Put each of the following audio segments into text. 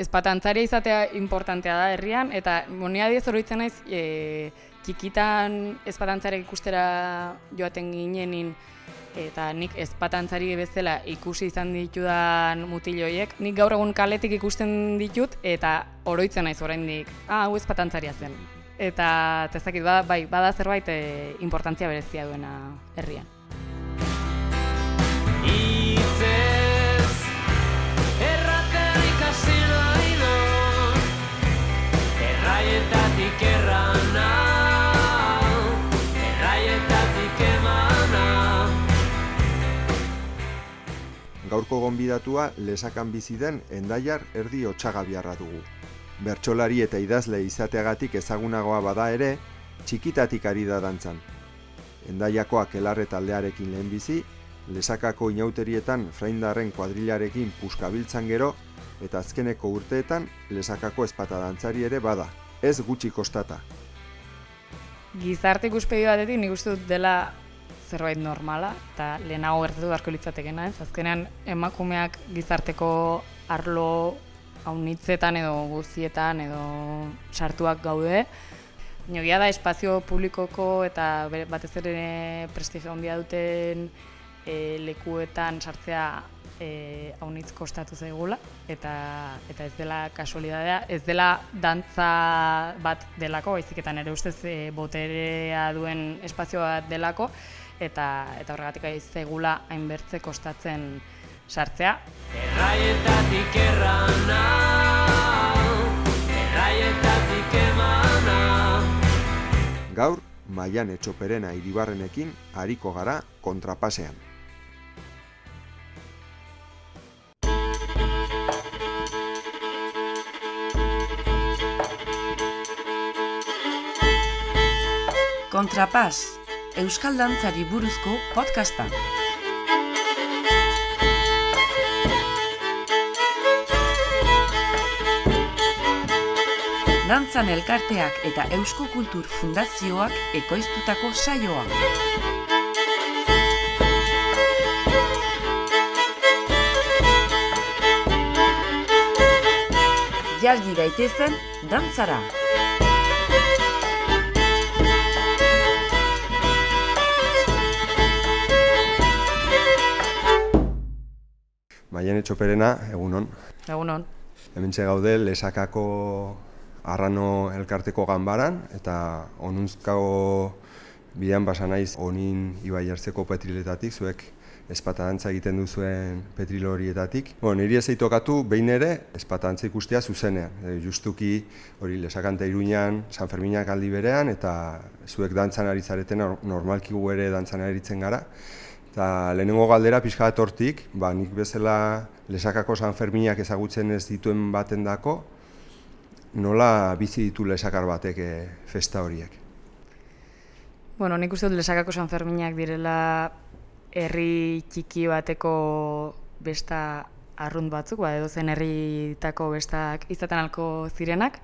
Ezpatantzaria izatea importantea da herrian, eta monia diez oroitzen naiz, txikitan ezpatantzariak ikustera joaten ginenin, eta nik ezpatantzari bezala ikusi izan ditudan mutil horiek, nik gaur egun kaletik ikusten ditut, eta oroitzen naiz oraindik, hau ezpatantzaria zen. Eta ez dakit, bada zerbait importantzia berezia duena herrian. Erraietatik errana, erraietatik emana. Gaurko gonbidatua Lesakan bizi den Hendaiar Erdi Otsagabiarra dugu. Bertsolari eta idazle izateagatik ezagunagoa bada ere, txikitatik ari da dantzan. Hendaiako Akelarre taldearekin lehenbizi, Lesakako inauterietan fraindarren kuadrilarekin puskabiltzan gero, eta azkeneko urteetan Lesakako ezpata dantzari ere bada, ez gutxi kostata. Gizarte ikuspegi batetik nik uste dut dela zerbait normala, eta lehenago gertatu beharko litzatekena, ez? Azkenean emakumeak gizarteko arlo haunitzetan edo guztietan edo sartuak gaude. Baina da espazio publikoko eta batez ere prestigio handia duten lekuetan sartzea haunitz kostatu zaigula, eta ez dela kasualidadea, ez dela dantza bat delako, baizik ere ustez boterea duen espazio bat delako, eta horregatik ez zaigula hainbertze kostatzen sartzea. Erraietatik errana, erraietatik emana. Gaur, Maiane Txoperena Iribarrenekin ariko gara kontrapasean. Kontrapas, euskal dantzari buruzko podcasta. Dantzan elkarteak eta Eusko Kultur Fundazioak ekoiztutako saioa. Jalgi gaitezen dantzara. Maiane Txoperena, egunon. Egunon. Hementxe gaude Lesakako Arrano elkarteko ganbaran, eta onuntzkago bidean basa naiz onin Ibai Ertzeko petriletatik, zuek ezpata dantza egiten duzuen petril horietatik. Niri ez eitokatu behin ere ezpata dantza ikustea zuzenean. Justuki hori Lesakan eta Iruñan, San Ferminak aldi berean, eta zuek dantzan ari zareten, normalki gu ere dantzan aritzen gara. Eta lehenengo galdera pixka bat hortik, nik bezala Lesakako San Ferminak ezagutzen ez dituen baten dako, nola bizi ditu Lesakar batek festa horiek? Nik uste dut Lesakako San Ferminak direla herri txiki bateko besta arrunt batzuk, edozen herritako bestak izaten alko zirenak.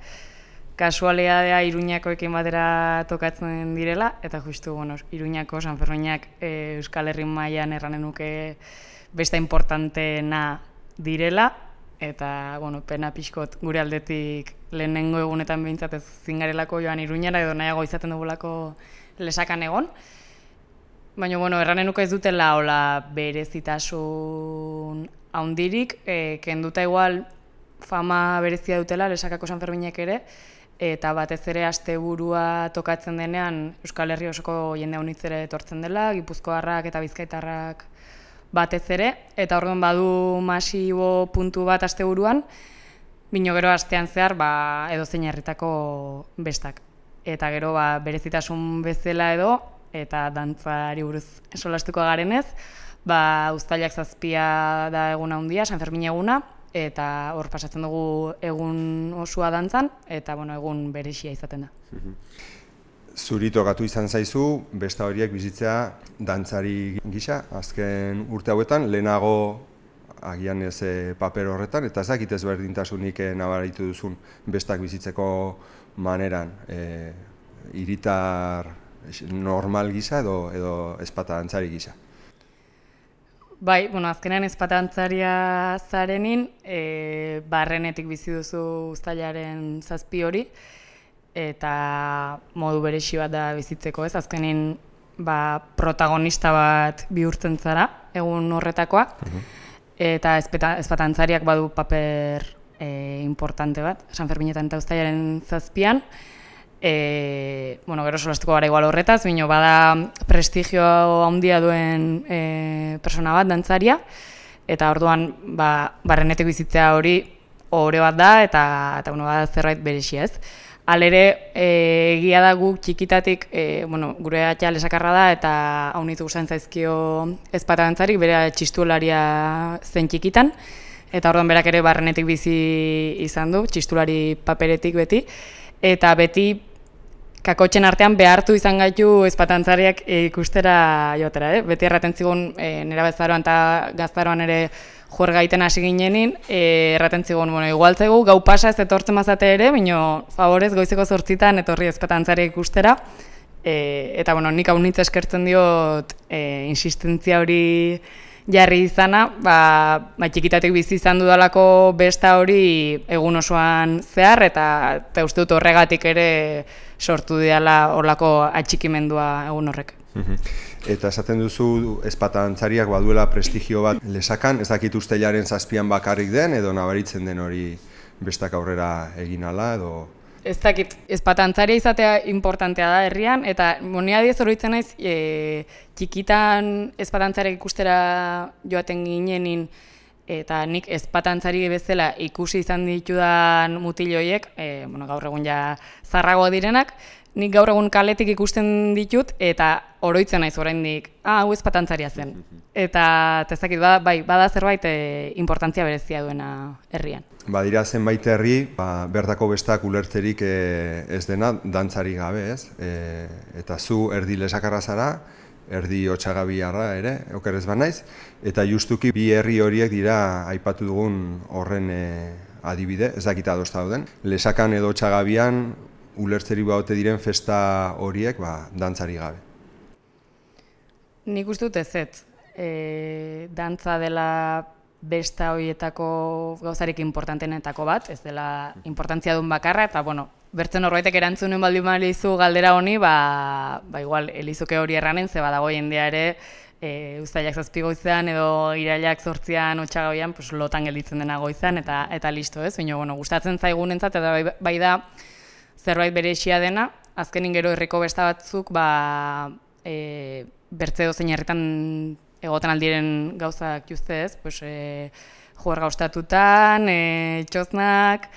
Kasualidadea Iruñakoekin batera tokatzen direla, eta justu, Iruñako San Ferminak Euskal Herri mailan erranen nuke besta importanteena direla, eta pena pixkot gure aldetik lehenengo egunetan behintzat ez zingarelako joan Iruñara edo nahiago izaten dugulako Lesakan egon. Baina, erranen nuke ez dutela hola berezitasun haundirik, kenduta igual fama berezia dutela Lesakako San Ferminek ere, eta batez ere asteburua tokatzen denean Euskal Herri osoko jende haunitzere etortzen dela, gipuzkoarrak eta bizkaitarrak batez ere, eta orduan badu masibo puntu bat asteburuan, bino gero astean zehar edozein herritako bestak. Eta gero berezitasun bezala edo, eta dantzari buruz solastuko garenez, uztailak 7 da egun handia, San Fermin eguna, eta hor pasatzen dugu egun osua dantzan, eta egun berezia izaten da. Zuri tokatu izan zaizu, besta horiek bizitzea dantzari gisa, azken urte hauetan, lehenago agian ez paper horretan, eta ez dakit ezberdintasunik nabaritu duzun bestak bizitzeko maneran. Hiritar normal gisa edo ezpata dantzari gisa. Bai, azkenean ezpatantzaria zarenin, barrenetik bizi duzu uztailaren 7 hori, eta modu berezi bat da bizitzeko, ez? Azkenin protagonista bat bihurtzen zara, egun horretakoa, eta ezpatantzariak badu paper importante bat, Sanferminetan eta uztailaren 7an, gero solastuko gara igual horretaz, bada prestigio handia duen persona bat, dantzaria, eta orduan barrenetik bizitzea hori ohore bat da, eta bada zerbait berezia, ez. Halere, egia da guk txikitatik, gure atxa lesakarra da, eta haunitu gustatzen zaizkio ezpata dantzarik, bere txistularia zen txikitan, eta orduan berak ere barrenetik bizi izan du, txistulari paperetik beti, eta beti kakotxen artean behartu izan gaitu ezpatantzariak ikustera joatera, Beti erraten zigun nera bezaroan eta gaztaroan ere juergaiten hasi ginenin, erraten zigun, igual zaigu gau pasa ez etortzen mazate ere, favorez goizeko 8 etorri ezpatantzariak ikustera, eta nik haunitza eskertzen diot insistentzia hori jarri izana, txikitatik bizi izan dudalako besta hori egun osoan zehar, eta uste dut horregatik ere sortu diala horlako atxikimendua egun horrek. Eta esaten duzu ezpatantzariak baduela prestigio bat lesakan, ez dakit uztailaren 7an bakarrik den, edo nabaritzen den hori bestak aurrera egin ala, edo... Ez dakit, ezpatantzaria izatea importantea da herrian, eta ni adiez oroitzen naiz, txikitan ezpatantzariak ikustera joaten ginenin, eta nik ezpatantzari bezala ikusi izan ditudan mutiloiek, gaur egun ja zarragoa direnak, nik gaur egun kaletik ikusten ditut, eta oroitzen naiz oraindik, hau ezpatantzaria zen. Eta ez dakit, bada zerbait importantzia berezia duena herrian. Badira zenbait herri, bertako bestak ulertzerik ez dena dantzari gabe, ez? Eta zu erdi lesakarra zara, erdi Otsagabiarra ere, okerrez banaiz, eta justuki bi herri horiek dira aipatu dugun horren adibide, ez dakita adosta dauden. Lesakan edo Otsagabian ulertzeri baute diren festa horiek dantzari gabe. Nik uste dut ez, dantza dela besta horietako gauzarik importantenetako bat, ez dela importantzia duen bakarra, eta bertzen horbaitek erantzunen baldin balizu galdera honi, igual elizuke hori erranen, ze badago jendea ere, uztailak 7 goizean edo irailak 8 Otsagabian, lotan gelditzen dena goizan, eta listo, ez? Gustatzen zaigunentzat, eta bai da zerbait berezia dena, azkenin gero herriko besta batzuk, bertze dozein herritan egoten aldiren gauzak juzte ez, juerga ostatutan, txosnak,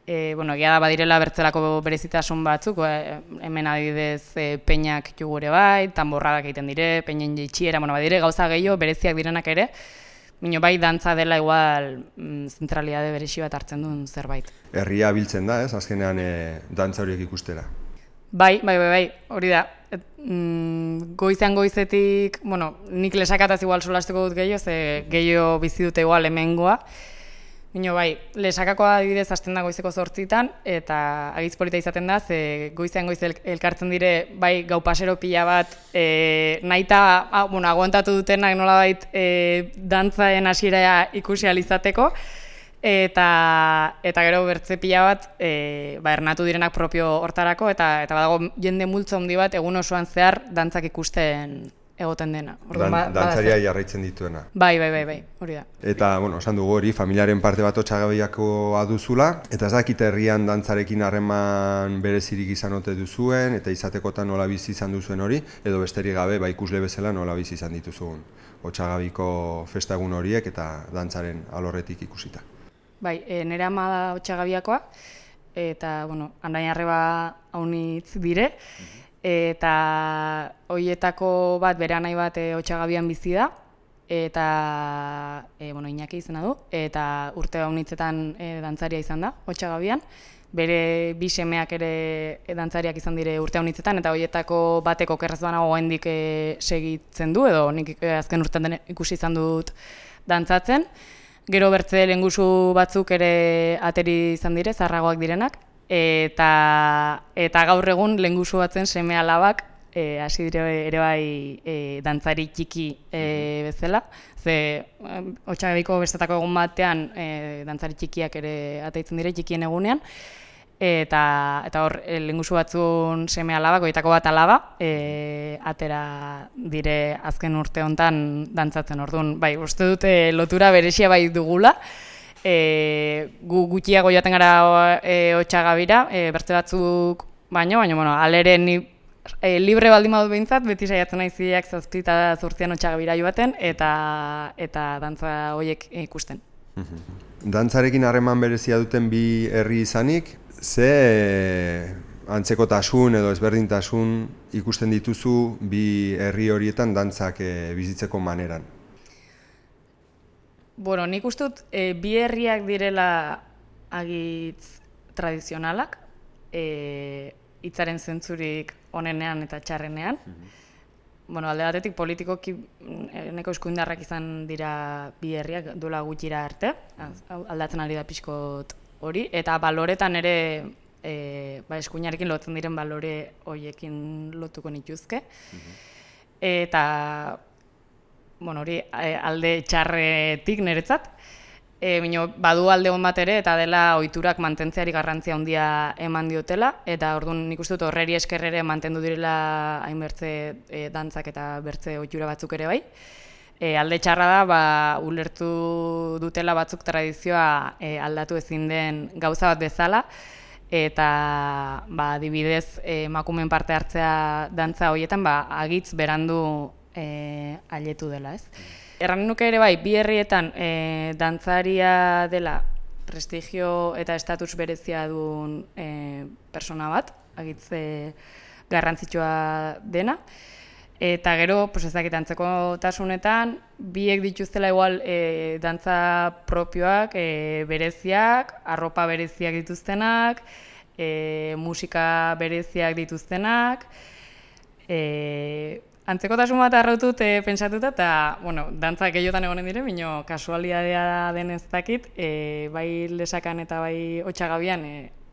egia da badirela bertzelako berezitasun batzuk, hemen adibidez peinak jugure bai, tanborradak egiten dire, peinen jeitxiera, badire gauza gehiago bereziak direnak ere, bai dantza dela igual zentralitate berezi bat hartzen duen zerbait. Herria biltzen da, ez, azkenean dantza horiek ikustera. Bai, hori da. Goizean goizetik, nik lesakataz igual solastuko dut gehiago, ze gehiago bizi dute igual hemengoa. Lesakakoa adibidez hasten da goizeko 8 eta agitz polita izaten da, ze goizean goiz elkartzen dire, gau pasero pila bat, nahita, aguantatu dutenak nolabait dantzaen hasiera ikusi ahal izateko, eta gero bertze pila bat ernatu direnak propio hortarako, eta badago jende multzo handi bat egun osoan zehar dantzak ikusten egoten dena. Dantzaria jarraitzen dituena. Bai, hori da. Eta, esan dugu hori, familiaren parte bat Otsagabiakoa duzula, eta ez dakit herrian dantzarekin harreman berezirik izan ote duzuen, eta izatekotan nola bizi izan duzuen hori, edo besterik gabe, ikusle bezala nola bizi izan dituzuen Otsagabiko festagun horiek eta dantzaren alorretik ikusita. Nire ama da Otsagabiakoa, eta, andain arreba haunitz dire, eta horietako bat, bere anai bat Otsagabian bizi da, eta Iñaki izena du, eta urte haunitzetan dantzaria izan da Otsagabian, bere bi semeak ere dantzariak izan dire urte haunitzetan, eta horietako bateko okerrez banago oraindik segitzen du, edo nik azken urtean ikusi izan dut dantzatzen. Gero bertze lehengusu batzuk ere ateri izan dire, zaharragoak direnak, eta gaur egun lehengusu batzen seme alabak hasi dire ere bai dantzari txiki bezala. Ze Otsagabiko bestetako egun batean dantzari txikiak ere ateitzen dire txikien egunean. Eta hor, lehengusu batzun seme alabak, goitako bat alaba, atera dire azken urte hontan dantzatzen. Orduan, bai, uste dute lotura beresia bai dugula. Gu gutxiago joaten gara Otsagabira, beste batzuk baino, bueno, alere ni libre baldin badut behintzat, beti saiatzen naiziak 7 eta 8 Otsagabira joaten, eta dantza horiek ikusten. Dantzarekin harreman berezia duten bi herri izanik, ze antzekotasun edo ezberdintasun ikusten dituzu bi herri horietan dantzak bizitzeko maneran? Bueno, nik uste dut bi herriak direla agitz tradizionalak, hitzaren zentzurik onenean eta txarrenean. Bueno, alde batetik politikoki neko eskuindarrak izan dira bi herriak duela gutxira arte, aldatzen ari da pixkot hori, eta baloretan ere eskuinarekin lotzen diren balore horiekin lotuko nituzke. Eta bueno, hori alde txarretik niretzat, badu alde hon bat ere, eta dela ohiturak mantentzeari garrantzia handia eman diotela, eta orduan nik uste dut horreri esker ere mantendu direla hainbertze dantzak eta bertze ohitura batzuk ere bai. Alde txarra da, ulertu dutela batzuk tradizioa aldatu ezin den gauza bat bezala, eta adibidez emakumeen parte hartzea dantza horietan agitz berandu ailetu dela, ez? Erran nuke ere bai, bi herrietan dantzaria dela prestigio eta estatus berezia duen persona bat, agitz garrantzitsua dena. Eta gero, ez dakit, antzekotasunetan, biek dituztela igual dantza propioak, bereziak, arropa bereziak dituztenak, musika bereziak dituztenak. Antzekotasun bat arrautut pentsatuta, eta dantzak gehiotan egonen dire, bino kasualidadea den ez dakit, bai Lesakan eta bai Otsagabian,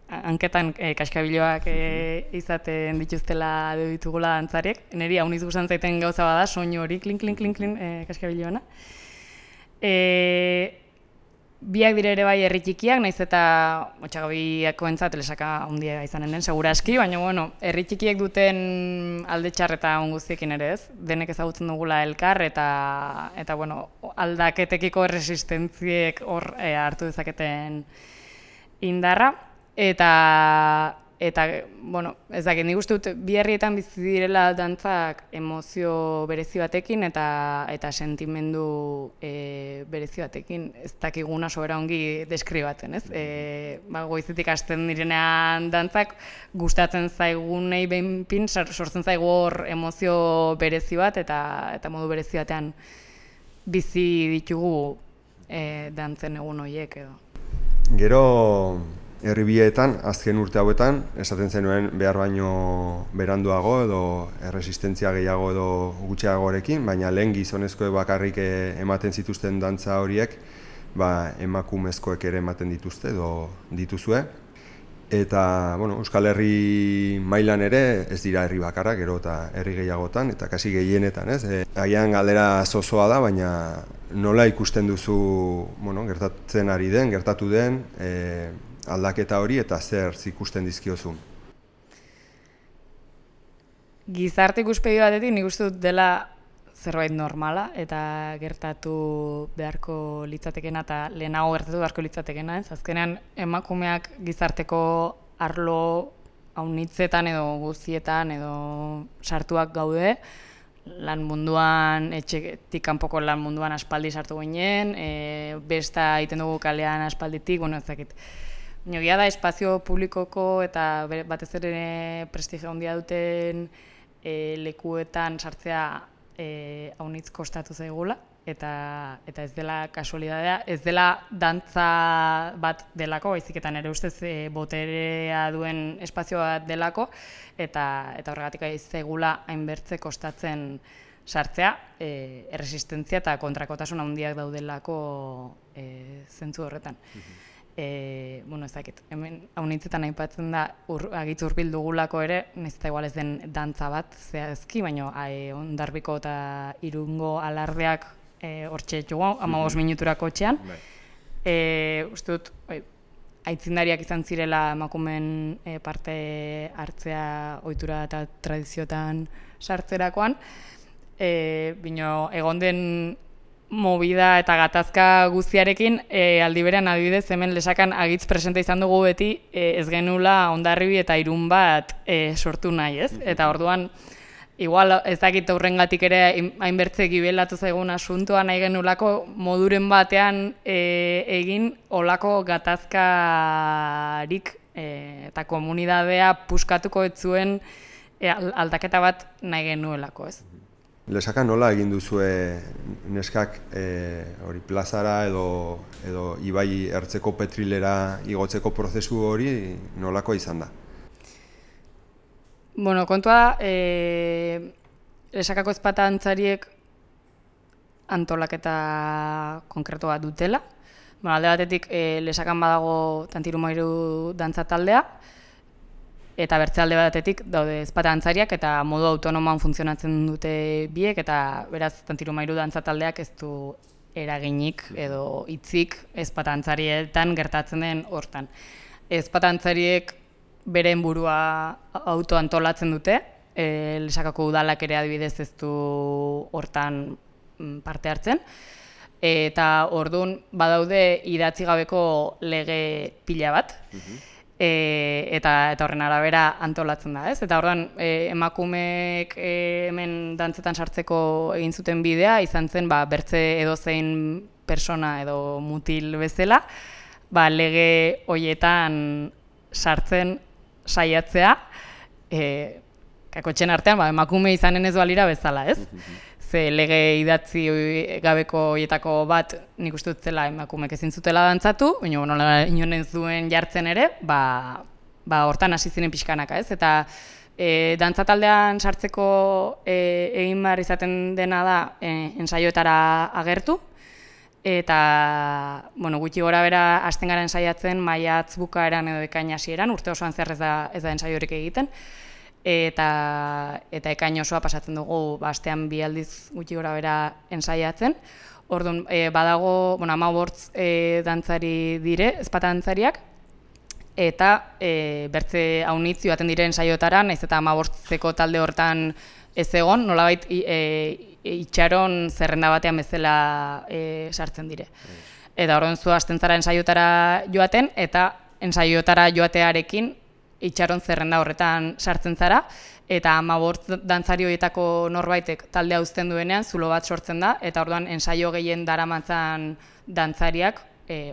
hanketan kaskabiloak izaten dituztela ditugula dantzariek. Niri hauniz guztan zaiten gauza bada, soinu hori, klin, kaskabiloana. Biak dire ere bai herri txikiak, naiz eta Otsagabiakoentzat Lesaka handia izanen den, segura aski, baina herri txikiek duten alde txar eta on guztiekin ere ez, denek ezagutzen dugula elkar, eta aldaketekiko erresistentziek hor hartu dezaketen indarra. Eta ez dakit, nik uste dut bi herrietan bizi direla dantzak emozio berezi batekin eta sentimendu berezi batekin, ez dakiguna sobera ongi deskribatzen, ez? Goizetik hasten direnean dantzak gustatzen zaigunei behinpin sortzen zaigu hor emozio berezi bat eta modu berezi batean bizi ditugu dantzen egun horiek edo. Gero herri bietan, azken urte hauetan, esaten zenuen behar baino beranduago edo erresistentzia gehiago edo gutxiagorekin, baina lehen gizonezkoek bakarrik ematen zituzten dantza horiek, emakumezkoek ere ematen dituzte edo dituzue. Eta, Euskal Herri mailan ere ez dira herri bakarra, gero eta herri gehiagotan, eta kasi gehienetan, ez? Agian galdera zozoa da, baina nola ikusten duzu, gertatzen ari den, gertatu den, aldaketa hori eta zer ikusten dizkiozun? Gizarte ikuspegi batetik nik uste dut dela zerbait normala eta gertatu beharko litzatekena eta lehenago gertatu beharko litzatekena, ez? Azkenean emakumeak gizarteko arlo haunitzetan edo guztietan edo sartuak gaude, lan munduan, etxetik kanpoko lan munduan aspaldi sartu ginen, besta egiten dugu kalean aspalditik, ez dakit. Egia da, espazio publikoko eta batez ere prestigio handia duten lekuetan sartzea haunitz kostatu zaigula, eta ez dela kasualidadea, ez dela dantza bat delako, baiziketan ere ustez boterea duen espazio bat delako, eta horregatik ez zaigula hainbertze kostatzen sartzea, erresistentzia eta kontrakotasun handiak daudelako zentzu horretan. bueno, ez dakit, hemen haunitzetan aipatzen da agitz hurbil dugulako ere, nahiz eta igual ez den dantza bat zehazki, baina Hondarbiko eta Irungo alardeak hortxe txugu, 15 minuturako txean. Uste dut, aitzindariak izan zirela emakumeen parte hartzea ohitura eta tradiziotan sartzerakoan, bino egon den movida eta gatazka guztiarekin, aldi berean adibidez hemen Lesakan agitz presente izan dugu beti ez genula Hondarribi eta Irun bat sortu nahi, ez? Eta orduan, igual ez dakit horrengatik ere hainbertze gibelatu zaigun asuntoa nahi genulako moduren batean egin olako gatazkarik eta komunidadea puskatuko ez zuen aldaketa bat nahi genuelako, ez? Lesakan nola egin duzue neskak hori plazara edo ibai ertzeko petrilera igotzeko prozesu hori nolakoa izan da? Bueno, kontua, Lesakako ezpata antzariek antolaketa konkretu bat dutela. Bueno, alde batetik Lesakan badago Tantirumairu dantza taldea, eta bertze alde batetik daude ezpata antzariak eta modu autonomoan funtzionatzen dute biek, eta beraz Tantirumairu dantza taldeak ez du eraginik edo hitzik ezpata antzarietan gertatzen den hortan. Ezpata antzariek beren burua autoantolatzen dute, Lesakako udalak ere adibidez ez du hortan parte hartzen, eta orduan badaude idatzi gabeko lege pila bat, eta horren arabera antolatzen da, ez? Eta orduan emakumeek hemen dantzetan sartzeko egin zuten bidea, izan zen bertze edozein persona edo mutil bezala, lege hoietan sartzen saiatzea, kakotxen artean emakume izanen ez balira bezala, ez? Ze lege idatzi gabeko hoietako bat nik uste dut zela emakumek ezin zutela dantzatu, baina nola inoen zuen jartzen ere, hortan hasi ziren pixkanaka, ez? Eta dantza taldean sartzeko egin behar izaten dena da ensaioetara agertu, eta gutxi gora bera hasten garen saiatzen maiatz bukaeran edo ekain hasieran, urte osoan zer ez da ensaiorik egiten, eta ekain osoa pasatzen dugu astean 2 aldiz gutxi gora bera ensaiatzen. Orduan, badago 15 dantzari dire, ezpata dantzariak, eta bertze haunitz joaten dire ensaioetara, nahiz eta 15ko talde hortan ez egon, nolabait itxaron zerrenda batean bezala sartzen dire. Eta orduan zu hasten zara ensaioetara joaten, eta ensaioetara joatearekin itxaron zerrenda horretan sartzen zara, eta 15 dantzari horietako norbaitek taldea uzten duenean zulo bat sortzen da, eta orduan ensaio gehien daramatzan dantzariak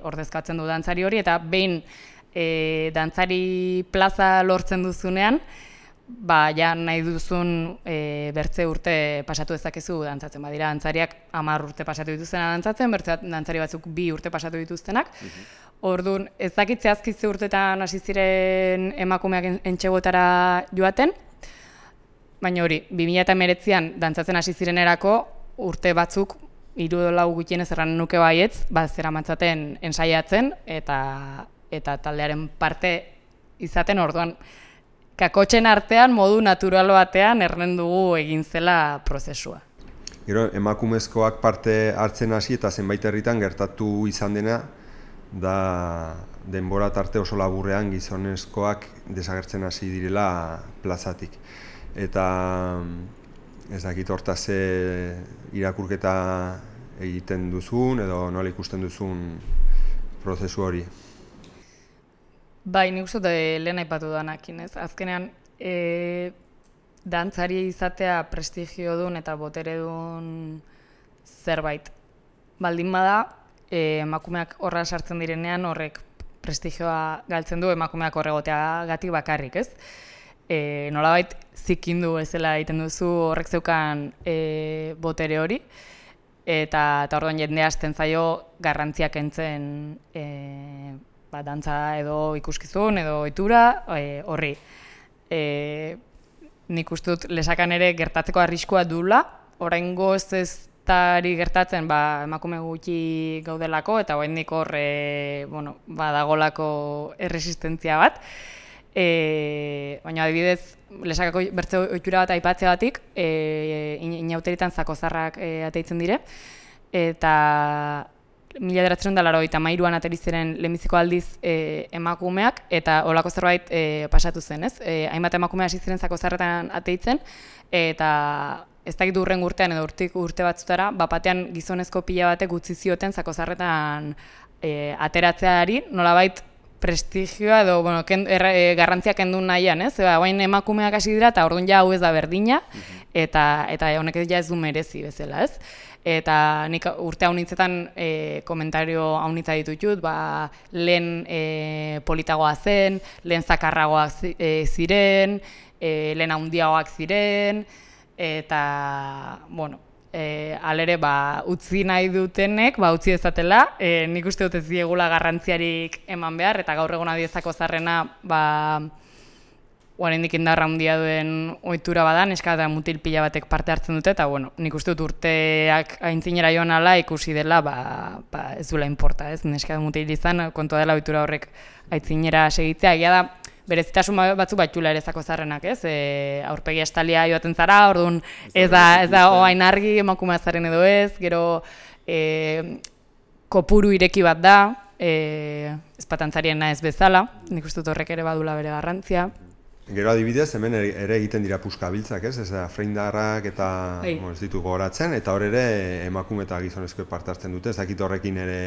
ordezkatzen du dantzari hori, eta behin dantzari plaza lortzen duzunean, ja nahi duzun bertze urte pasatu dezakezu dantzatzen. Badira dantzariak 10 urte pasatu dituztena dantzatzen, bertze dantzari batzuk 2 urte pasatu dituztenak. Orduan, ez dakit zehazki ze urtetan hasi ziren emakumeak entxegotara joaten, baina hori, 2019an dantzatzen hasi zirenerako urte batzuk 3 edo 4 gutxienez erran nuke baietz, zeramatzaten ensaiatzen eta taldearen parte izaten. Orduan, kakotxen artean modu natural batean erren dugu egin zela prozesua. Gero, emakumezkoak parte hartzen hasi eta zenbait herritan gertatu izan dena, da denbora tarte oso laburrean gizonezkoak desagertzen hasi direla plazatik. Eta ez dakit hortaz irakurketa egiten duzun edo nola ikusten duzun prozesu hori. Bai, nik uste lehen aipatu danakin, ez? Azkenean, dantzari izatea prestigiodun eta boteredun zerbait. Baldin bada, emakumeak horra sartzen direnean horrek prestigioa galtzen du emakumeak horregoteagatik bakarrik, ez? Nolabait zikindu ezela egiten duzu horrek zeukan botere hori, eta orduan jende hasten zaio garrantziak kentzen dantza edo ikuskizun edo ohitura horri. Nik uste dut Lesakan ere gertatzeko arriskua duela, oraingoz ez tari gertatzen emakume gutxi gaudelako eta oraindik hor badagolako erresistentzia bat. Baina adibidez, Lesakako bertze ohitura bat aipatzeagatik, inauteritan zakozarrak ateitzen dire, eta 1983an ateri ziren lehenbiziko aldiz emakumeak, eta holako zerbait pasatu zen, ez? Hainbat emakume hasi ziren zakozarretan ateitzen, eta ez dakit hurren urtean edo urte batzutara, batean gizonezko pila batek utzi zioten zakozarretan ateratzeari, nolabait prestigioa edo garrantzia kendu nahian, ez? Guain emakumeak hasi dira eta orduan ja hau ez da berdina, eta honek ja ez du merezi bezala, ez? Eta nik urte haunitzetan komentario haunitza ditutut, lehen politagoa zen, lehen zakarragoak ziren, lehen haundiagoak ziren, eta, alere utzi nahi dutenek, utzi ezatela, nik uste dut ez diegula garrantziarik eman behar, eta gaur egun adiezako zarrena, oraindik indarra handia duen ohitura bada, neska eta mutil pila batek parte hartzen dute, eta nik uste dut urteak aintzinera joan ala ikusi dela, ez duela inporta, ez? Neska eta mutil izan, kontua dela ohitura horrek aintzinera segitzea, egia da, berezitasun batzu batxula ere zakozarrenak, ez? Aurpegi estalia joaten zara, orduan ez da oain argi emakumea zaren edo ez, gero kopuru ireki bat da, ezpatantzariena ez bezala, nik uste dut horrek ere badula bere garrantzia. Gero adibidez, hemen ere egiten dira puskabiltzak, ez? Ez da, freindarrak eta ez ditu gogoratzen, eta hor ere emakume eta gizonezko parte hartzen dute, ez dakit horrekin ere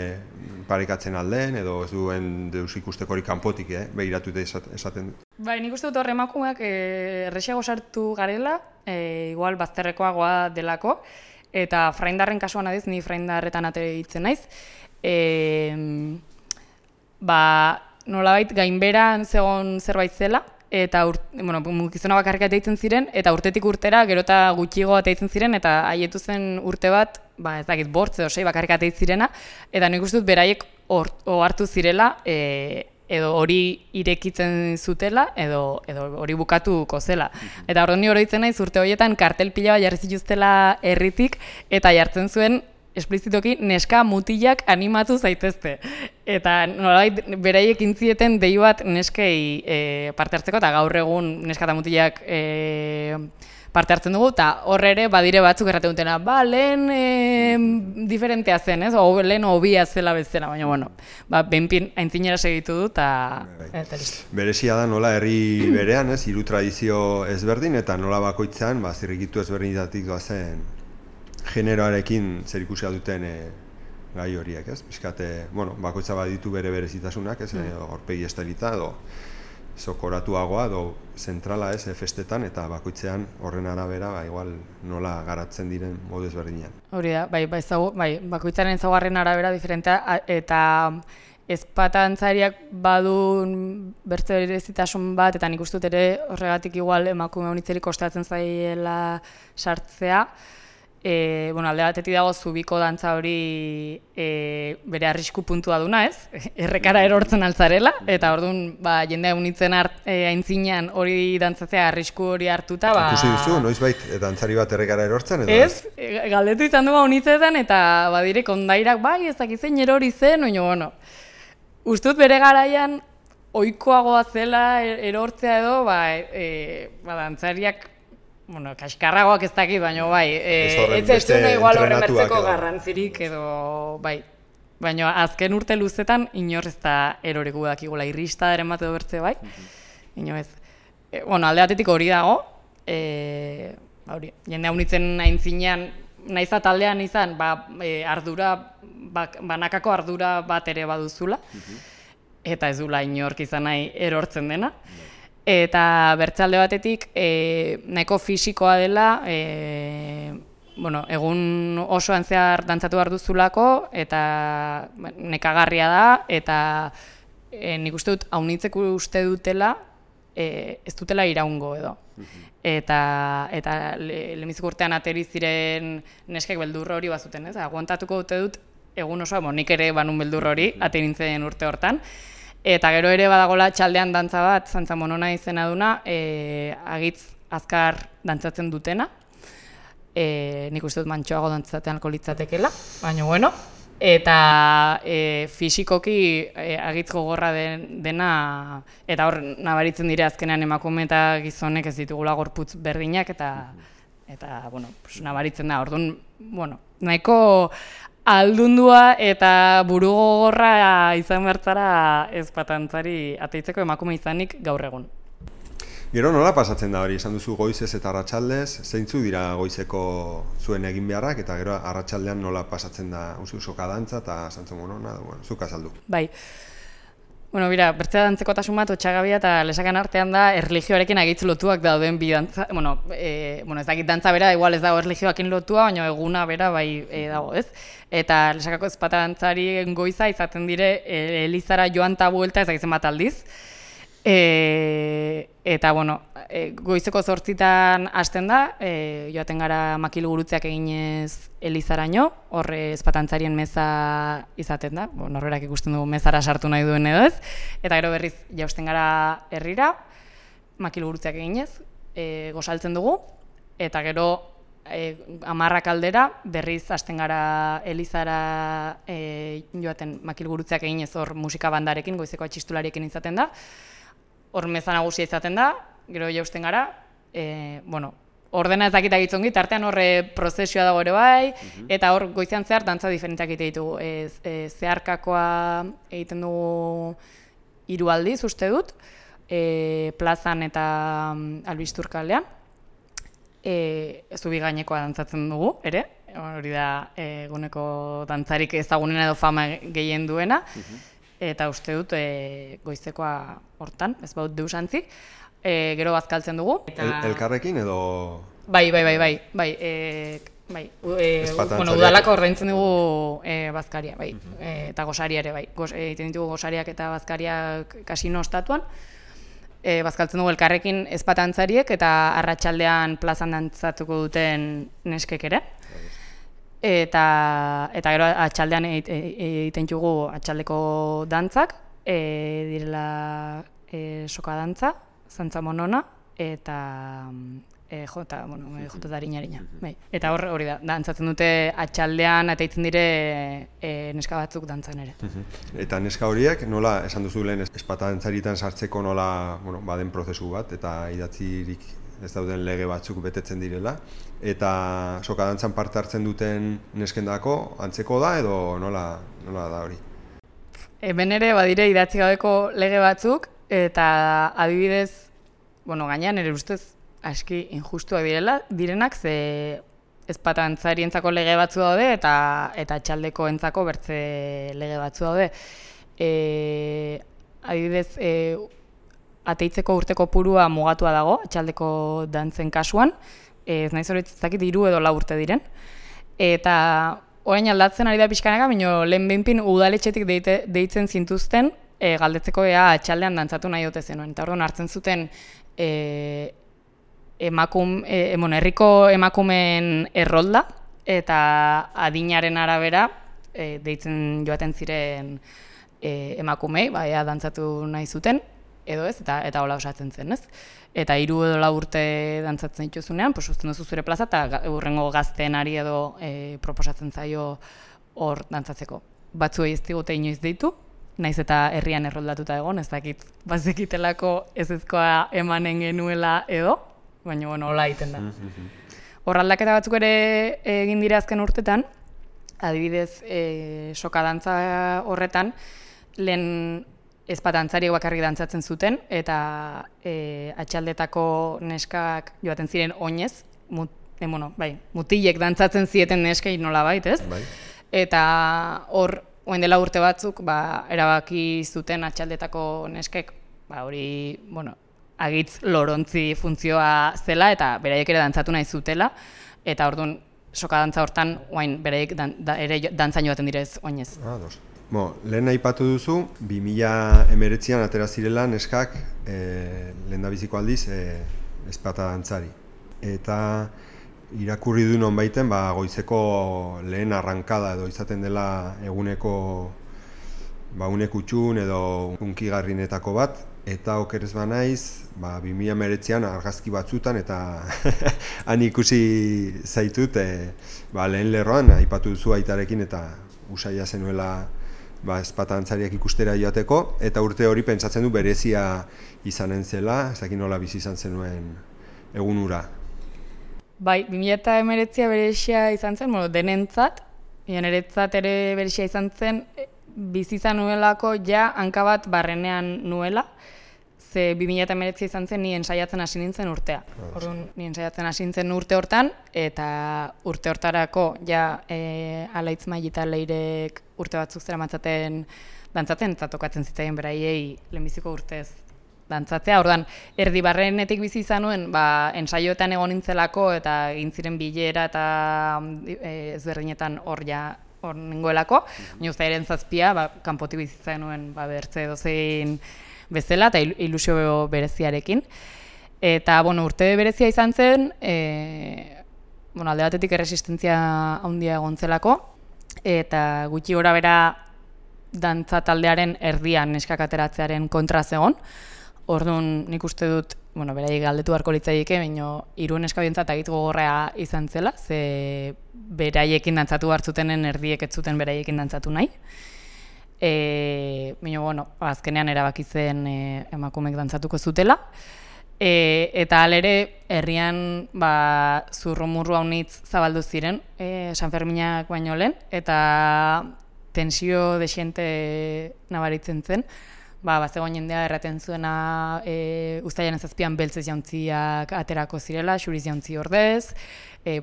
parekatzen aldeen, edo ez duen deus ikustekorik kanpotik, begiratu esaten dut. Nik uste dut hor emakumeak erresiago sartu garela, igual bazterrekoagoa delako, eta fraindarren kasuan adiz, ni fraindarretan ateitzen naiz, nolabait gainberan zegoen zerbait zela, eta gizona bakarrik ateitzen ziren, eta urtetik urtera gero eta gutxiago ateitzen ziren, eta haietu zen urte bat, ez dakit, bortz edo sei bakarrik ateitzen zirena, eta nik uste dut beraiek ohartu zirela, edo hori irekitzen zutela, edo hori bukatuko zela. Eta orduan ni oroitzen naiz urte horietan kartel pila bat jarri zituztela herritik, eta jartzen zuen esplizitoki neska mutilak animatu zaitezte. Eta nolabait beraiek intzieten dei bat neskei parte hartzeko, eta gaur egun neska eta mutilak parte hartzen dugu, eta horre ere badire batzuk erraten dutena, lehen diferentea zen, ez? Lehen hobia zela bezala, baina, behinpin aintzinera segitu du, eta berezia da nola herri berean, ez? Hiru tradizio ezberdin, eta nola bakoitzean, zirrikitu ezberdinetatik doazen generoarekin zer ikusia duten gai horiek, ez? Bizkate, bakoitza baditu bere berezitasunak, ez? Aurpegi estelita, edo zokoratuagoa, edo zentrala, ez? Festetan, eta bakoitzean horren arabera, igual nola garatzen diren modu ezberdinean. Hori da, bakoitzaren ezaugarrien arabera diferentea, eta ezpatantzariak badun bertze berezitasun bat, eta nik uste dut ere horregatik igual emakume honitzerik kostatzen zaiela sartzea. Alde batetik dago zubiko dantza hori bere arrisku puntua duna, ez? Errekara erortzen altzarela, eta orduan jendea unitzen aintzinean hori dantzatzea arrisku hori hartuta. Ikusi duzu, noizbait dantzari bat errekara erortzen? Ez, galdetu izan du unitzetan, eta badire kondairak, ez dakizein erori zen, ustut bere garaian ohikoagoa zela erortzea edo, dantzariak kaskarragoak ez dakit, baina ez zuen igual horren bertzeko garrantzirik edo baina azken urte luzetan inor ez da eroriku dakigula irrista eren bat edo bertze ino ez. Alde batetik hori dago, jende haunitzen aintzinean naiz taldean izan, ardura, banakako ardura bat ere baduzula, eta ez dula inork izan nahi erortzen dena. Eta bertzalde batetik nahiko fisikoa dela, egun osoan zehar dantzatu behar duzulako, eta nekagarria da, eta nik uste dut, haunitzek uste dutela, ez dutela iraungo edo. Eta lehenbiziko urtean ateri ziren neskek beldur hori bazuten, ez? Aguantatuko dute dut, egun osoa, nik ere banun beldur hori, ateri nintzen urte hortan. Eta gero ere badagola txaldean dantza bat, Zantza Monona izena duna, agitz azkar dantzatzen dutena. nik uste dut mantxoago dantzatean litzatekeela, baina bueno, eta fisikoki agitz gogorra dena, eta hor nabaritzen dire azkenean emakume eta gizonek ez ditugula gorputz berdinak, eta bueno, nabaritzen da, orduan, bueno, nahiko aldundua eta buru gogorra izan bertzara ezpatantzari ateitzeko emakume izanik gaur egun. Gero nola pasatzen da hori, esan duzu goizez eta arratsaldez, zeintzu dira goizeko zuen egin beharrak, eta gero arratsaldean nola pasatzen da soka dantza eta santzen monona, bueno, zuk azaldu. Bai, bueno, bera, bertzea dantzekotasun bat, otxagabia eta lesakan artean da erlijioarekin agitz lotuak dauden bi dantza, bueno, ez dakit dantza bera, igual ez dago erlijioakin lotua, baina eguna bera bai dago, ez? Eta lesakako ezpata dantzari goiza izaten dire elizara joan eta buelta ezagitzen bat aldiz. Eta, bueno, goizeko 8 hasten da, joaten gara makilgurutzeak eginez elizaraino, horre ezpatantzarien meza izaten da, norberak ikusten dugu mezara sartu nahi duen edo ez, eta gero berriz jausten gara herrira, makilgurutzeak eginez, gosaltzen dugu, eta gero 10 aldera berriz hasten gara elizara joaten makilgurutzeak eginez hor musika bandarekin, goizeko atxistulariekin izaten da, hor meza nagusia izaten da, gero jausten gara, bueno, ordena ez dakita gitzongi, tartean horre prozesioa dago ere bai, eta hor goizean zehar dantza diferenteak egite ditugu. Zeharkakoa egiten dugu 3 aldiz, uste dut, plazan eta Albistur kalean, zubi gainekoa dantzatzen dugu, ere, hori da eguneko dantzarik ezagunena edo fama gehien duena, eta uste dut goizekoa hortan, ez baut deusantzi, gero bazkaltzen dugu. Elkarrekin edo... Bai, udalako ordaintzen dugu bazkaria, bai, eta gosaria ere, bai. Egiten ditugu gosariak eta bazkariak kasino ostatuan, bazkaltzen dugu elkarrekin ezpatantzariek eta arratsaldean plazan dantzatuko duten neskek ere. Eta gero atxaldean egiten dugu atxaldeko dantzak, direla soka dantza, zantza monona, eta jota darinarina. Eta hori da, dantzatzen dute atxaldean, eta egiten dire neska batzuk dantzan ere. Eta neska horiek, nola, esan duzu lehen ezpatantzaritan sartzeko nola baden prozesu bat, eta idatzirik ez dauden lege batzuk betetzen direla, eta soka dantzan parte hartzen duten neskendako antzeko da edo nola da hori? Hemen ere badire idatzi gabeko lege batzuk, eta adibidez, gainean ere ustez aski injustuak direnak, ze ezpatantzarientzako lege batzu daude eta txaldekoentzako bertze lege batzu daude. Adibidez, ateitzeko urteko purua mugatua dago, atxaldeko dantzen kasuan, ez naiz hori ezakit 3 edo 4 urte diren. Eta orain aldatzen ari da pixkanaka, baina lehen behinpin udaletxetik deitzen zintuzten galdetzeko ea atxaldean dantzatu nahi dute zenuen. Eta orduan hartzen zuten herriko emakumeen errolda, eta adinaren arabera deitzen joaten ziren emakumei, ea dantzatu nahi zuten, edo ez, eta hola osatzen zen, ez? Eta 3 edo 4 urte dantzatzen dituzunean, uzten duzu zure plaza, eta hurrengo gazteenari edo proposatzen zaio hor dantzatzeko. Batzuei ez digute inoiz deitu, naiz eta herrian erroldatuta egon, ez dakit bazekitelako ezezkoa emanen genuela edo, baina hola egiten da. Hor aldaketa batzuk ere egin dira azken urtetan, adibidez soka dantza horretan, lehen ezpatantzariek bakarrik dantzatzen zuten, eta atxaldetako neskak joaten ziren oinez, mutilek dantzatzen zieten neskei nolabait, ez? Eta hor, orain dela urte batzuk, erabaki zuten atxaldetako neskek, hori, agitz lorontzi funtzioa zela, eta beraiek ere dantzatu nahi zutela, eta orduan, soka dantza hortan, beraiek ere dantzan joaten direz oinez. Lehen aipatu duzu, 2019an atera zirela neskak lehendabiziko aldiz ezpata dantzari. Eta irakurri du nonbaiten goizeko lehen arrankada edo izaten dela eguneko une kutxun edo hunkigarrinetako bat, eta okerez banaiz, 2019an argazki batzutan eta han ikusi zaitut lehen lerroan aipatu duzu aitarekin eta usaia zenuela ezpata dantzariak ikustera joateko, eta urte hori pentsatzen du berezia izanen zela, ez dakit nola bizi izan zenuen egun hura. Bai, 2019 berezia izan zen, denentzat, niretzat ere berezia izan zen, bizi izan nuelako ja hanka bat barrenean nuela, ze 2019 izan zen ni ensaiatzen hasi nintzen urtea. Orduan, ni ensaiatzen hasi nintzen urte hortan, eta urte hortarako ja Alaitz Maili eta Leirek urte batzuk zeramatzaten dantzaten, eta tokatzen zitzaien beraiei lehenbiziko urtez dantzatzea. Orduan, erdi barrenetik bizi izan nuen, ensaioetan egon nintzelako eta egin ziren bilera eta ezberdinetan hor nengoelako. Baina uztailaren 7, kanpotik bizi izan nuen bertze edozein bezala eta ilusio bereziarekin. Eta, urte berezia izan zen, alde batetik erresistentzia handia egon zelako, eta gutxi gora bera dantza taldearen erdian neskak ateratzearen kontra zegon. Orduan nik uste dut, beraiek galdetu beharko litzaidake, baina hiru neska bientzat agit gogorra izan zela, ze beraiekin dantzatu hartzutenen erdiek ez zuten beraiekin dantzatu nahi. Baina, azkenean erabaki zen emakumeek dantzatuko zutela. Eta alere, herrian zurrumurru haunitz zabaldu ziren, San Ferminak baino lehen, eta tensio desiente nabaritzen zen. Bazegoen jendea erraten zuena uztailaren 7an beltzez jauntziak aterako zirela, xuriz jauntzi ordez,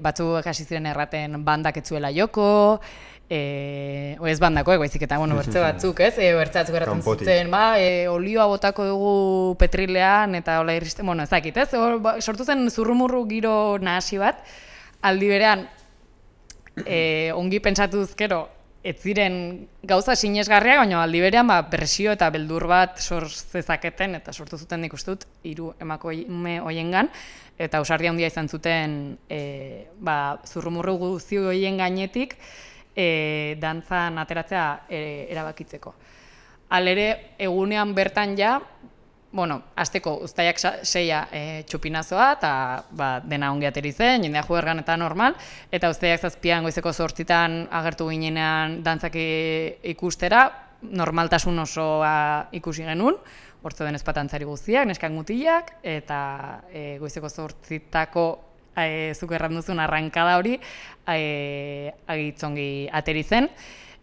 batzuk hasi ziren erraten bandak ez zuela joko, ez bandako, baizik eta bertze batzuk, bertze batzuk erraten zuten, olioa botako dugu petrilean eta hola irristen, ez dakit, sortu zen zurrumurru giro nahasi bat, aldi berean, ongi pentsatuz gero, ez ziren gauza sinesgarriak, baina aldi berean presio eta beldur bat sor zezaketen, eta sortu zuten nik uste dut, 3 emakume hoiengan, eta ausardia handia izan zuten zurrumurru guzti horien gainetik dantzan ateratzea erabakitzeko. Halere, egunean bertan ja, hasteko uztailak 6 txupinazoa, eta dena ongi ateri zen, jendea juergan eta normal, eta uztailak 7an goizeko 8 agertu ginenean dantzak ikustera, normaltasun osoa ikusi genuen, hortze den ezpatantzari guztiak, neskak mutilak, eta goizeko 8 zuk erran duzun arrankada hori agitzongi ateri zen.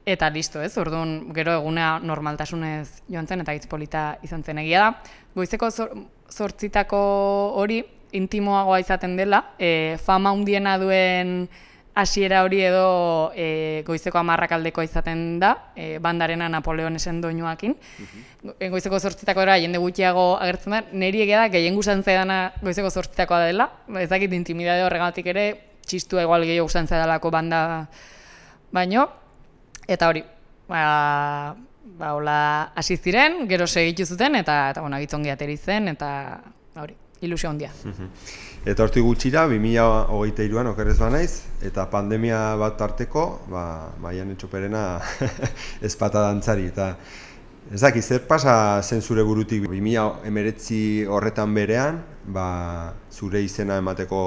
Eta listo, orduan gero eguna normaltasunez joan zen eta hitz polita izan zen egia da. Goizeko 8 hori intimoagoa izaten dela, fama handiena duen hasiera hori edo goizeko 10 aldekoa izaten da, bandarena Napoleonesen doinuakin. Goizeko 8 jende gutxiago agertzen da, niri egia da gehien gustatzen zaidana goizeko 8 dela, ez dakit intimidade horregatik ere, txistua igual gehiago gustatzen zaidalako banda baino. Eta hori, hola hasi ziren, gero segitu zuten, eta agitzongi ateri zen, eta hori, ilusio handia. Eta hortik gutxira, 2023an okerrez banaiz, eta pandemia bat tarteko, Maiane Txoperena ezpata dantzari. Eta ez dakit, zer pasa zen zure burutik 2019 horretan berean, zure izena emateko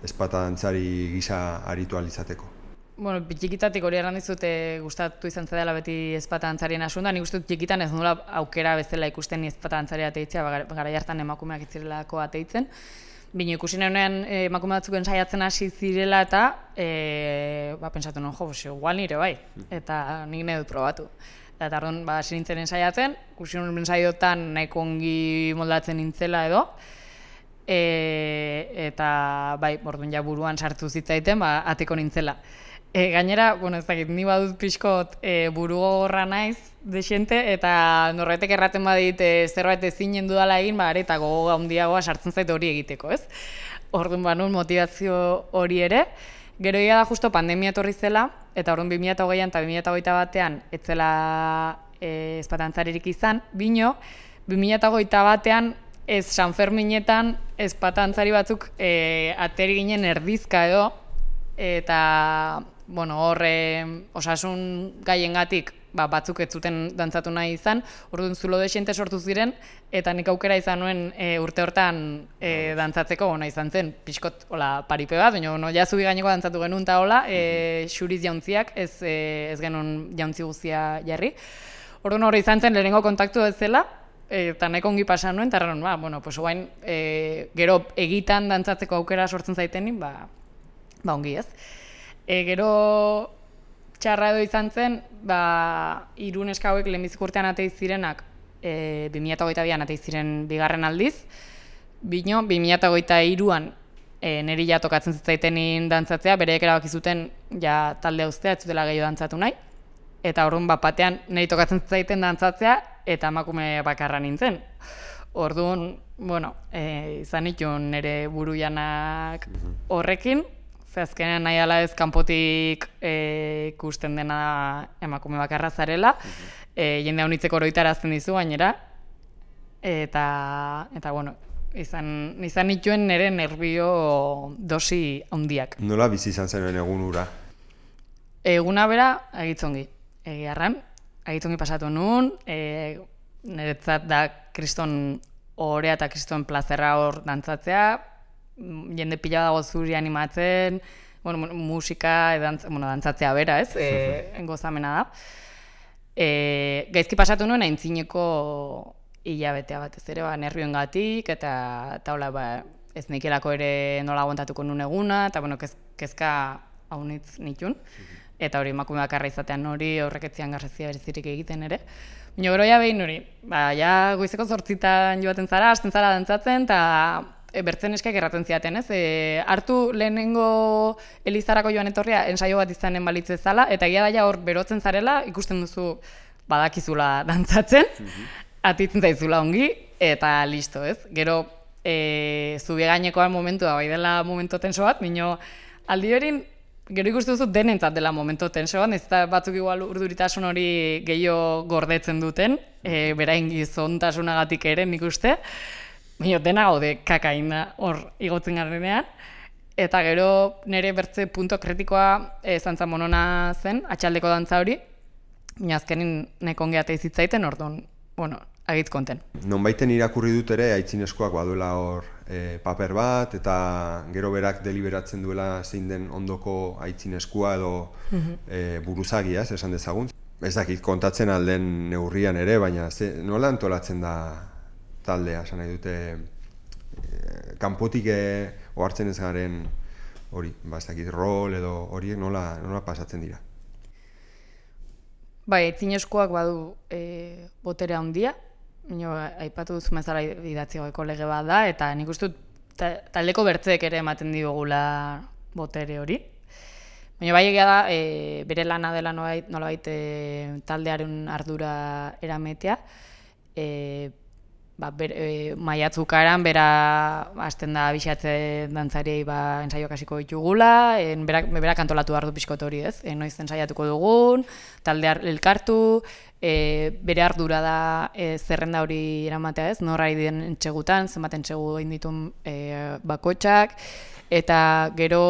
ezpata dantzari gisa aritu alizateko? Txikitatik hori erran dizute gustatu izan zedela beti ezpata dantzarien asunta, nik uste dut txikitan ez nula aukera bezala ikusten ni ezpata dantzari ateitzea, garai hartan emakumeak itzirelako ateitzen. Bino ikusi neuen emakume batzuk ensaiatzen hasi zirela eta pentsatu nuen, igual nire bai, eta nik nahi dut probatu. Eta orduan hasi nintzen ensaiatzen, ikusi nuen ensaiotan nahiko ongi moldatzen nintzela edo, eta orduan ja buruan sartu zitzaiten, ateko nintzela. Gainera, ez dakit, ni badut pixkot burugogorra naiz desente, eta norbaitek erraten badit zerbait ezinen dudala egin, eta gogo handiagoa sartzen zait hori egiteko, ez? Orduan banun motivazio hori ere. Gero da justo pandemia etorri zela, eta orduan 2020an eta 2021an ez zela ezpatantzaririk izan, bino 2021an ez San Ferminetan ezpatantzari batzuk ateri ginen erdizka edo, eta horre osasun gaiengatik batzuk ez zuten dantzatu nahi izan, orduan zulo desente sortu ziren, eta nik aukera izan nuen urte hortan dantzatzeko ona izan zen, pixkot paripe bat, baina no, ja zubi gaineko dantzatu genuen eta hola, xuriz jauntziak, ez genuen jauntzi guztia jarri. Orduan hori izan zen lehenengo kontaktu ez zela, eta nahiko ongi pasan nuen, eta erran, bueno, pues oain, gero egitan dantzatzeko aukera sortzen zaitenin, ongi ez. Gero txarra edo izan zen, hiru neska hauek lehenbizik urtean ateiz zirenak, 2022an ateiz ziren bigarren aldiz, bino, 2023an niri ja tokatzen zitzaitenin dantzatzea, bereek erabaki zuten ja talde uztea, ez zutela gehiago dantzatu nahi, eta orduan batean niri tokatzen zitzaiten dantzatzea, eta emakume bakarra nintzen. Orduan, bueno, izan nituen nire buruianak horrekin, ze azkenean nahi ala ez kanpotik ikusten dena emakume bakarra zarela, jende honitzeko oroitarazten dizu gainera, eta bueno, izan nituen nire nerbio dosi handiak. Nola bizi izan zenuen egun hura? Eguna bera, agitzongi. Egiarran, agitzongi pasatu nuen, niretzat da kriston orea eta kriston plazerra hor dantzatzea, jende pila dago zuri animatzen, bueno, musika, dantzatzea bera, ez? Gozamena da. Gaizki pasatu nuen aintzineko hilabetea batez ere, nervioengatik, eta hola, ez nikelako ere nola aguantatuko nuen eguna, eta bueno, kezka haunitz nitun. Eta hori emakume bakarra izatean hori horreketzian garrazia berezirik egiten ere. Baina gero ja behin hori, ja goizeko 8 joaten zara, hasten zara dantzatzen, eta bertzen eskak erraten ziaten, ez? Hartu lehenengo elizarako joan etorria ensaio bat izanen balitze zala, eta egia da ja hor berotzen zarela, ikusten duzu badakizula dantzatzen, atitzen zaizula ongi, eta listo, ez? Gero zubi gainekoan momentua, bai dela momentu tenso bat, baina aldi horin gero ikusten duzu denentzat dela momentu tensoan, ez da batzuk igual urduritasun hori gehiago gordetzen duten, berain gizontasunagatik ere nik uste, baina dena gaude kakaina hor igotzen garenean, eta gero nire bertze punto kritikoa zantza monona zen, atxaldeko dantza hori, baina azkenin neko ongi ateiz zitzaiten, orduan, bueno, agitz konten. Nonbaiten irakurri dut ere, aitzineskoak baduela hor paper bat, eta gero berak deliberatzen duela zein den ondoko aitzineskua edo buruzagia, esan dezagun. Ez dakit kontatzen alden neurrian ere, baina nola antolatzen da taldea, esan nahi dute kanpotik ohartzen ez garen hori, ez dakit rol edo horiek nola pasatzen dira. Bai, aitzineskoak badu botere handia, aipatu duzu mezala idatzi gaueko lege bat da, eta nik uste dut taldeko bertzeek ere ematen digula botere hori. Baina bai egia da, bere lana dela nolabait taldearen ardura erametea, maiatzukaran bera hasten da abixatze dantzariei ensaioak hasiko ditugula, berak antolatu behar du pixkot hori, ez? Noiz ensaiatuko dugun, talde elkartu, bere ardura da zerrenda hori eramatea, ez? Nor ari den entsegutan, zenbat entsegu egin ditun bakoitzak, eta gero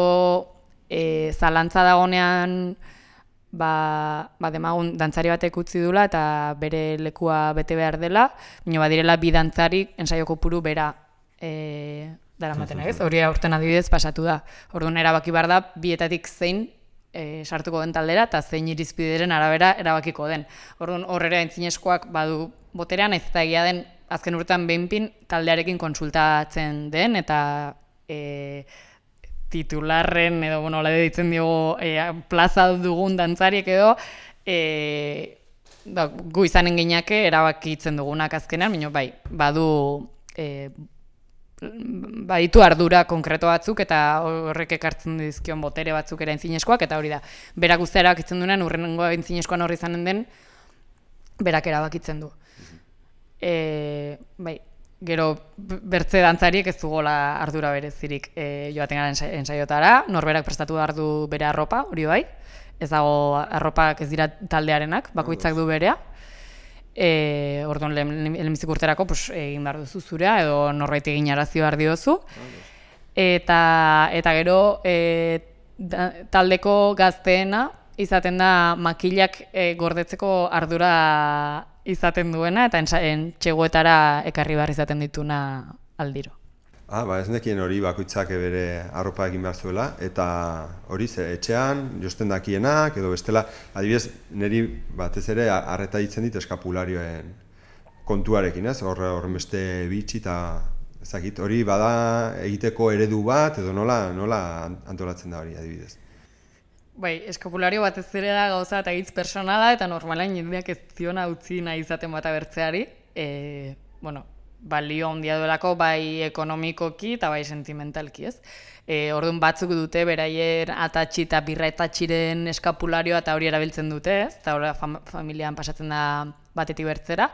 zalantza dagonean demagun dantzari batek utzi dula eta bere lekua bete behar dela, baina badirela bi dantzari ensaio kopuru bera daramaten, ez? Hori aurten adibidez pasatu da. Orduan erabaki behar da bietatik zein sartuko den taldera eta zein irizpideren arabera erabakiko den. Orduan horrera aintzineskoak badu boterean, ez eta egia den azken urtean behinpin taldearekin konsultatzen den eta titularren edo, bueno, hola ditzen diogu plaza dugun dantzariek edo gu izanen gineake erabakitzen dugunak azkenean, baina bai, baditu ardura konkreto batzuk eta horrek ekartzen dizkion botere batzuk ere aintzineskoak, eta hori da, berak guztia erabakitzen duenean, urrengo aintzineskoan horri izanen den, berak erabakitzen du. Bai, gero bertze dantzariek ez dugola ardura berezirik joaten gara ensaiotara, norberak prestatu behar du bere arropa, hori bai, ez dago arropak ez dira taldearenak, bakoitzak du berea. Orduan lehenbizik urterako egin behar duzu zurea, edo norbait egin arazi behar diozu. Eta gero taldeko gazteena izaten da makilak gordetzeko ardura izaten duena eta txegoetara ekarri behar izaten dituna aldiro. Ez nekien hori bakoitzak bere arropa egin behar zuela, eta hori etxean, josten dakienak, edo bestela, adibidez, niri batez ere arreta ditzen dit eskapularioen kontuarekin, ez? Horren beste bitxi eta ezakit, hori bada egiteko eredu bat, edo nola antolatzen da hori adibidez. Bai, eskapulario batez ere da gauza eta hitz personala, eta normalain jendeak ez ziona utzi nahi izaten bat abertzeari, balio handia duelako bai ekonomikoki eta bai sentimentalki, ez? Orduan batzuk dute beraien atatxi eta birra atatxiren eskapularioa eta hori erabiltzen dute, ez? Eta hori familian pasatzen da batetik bertzera,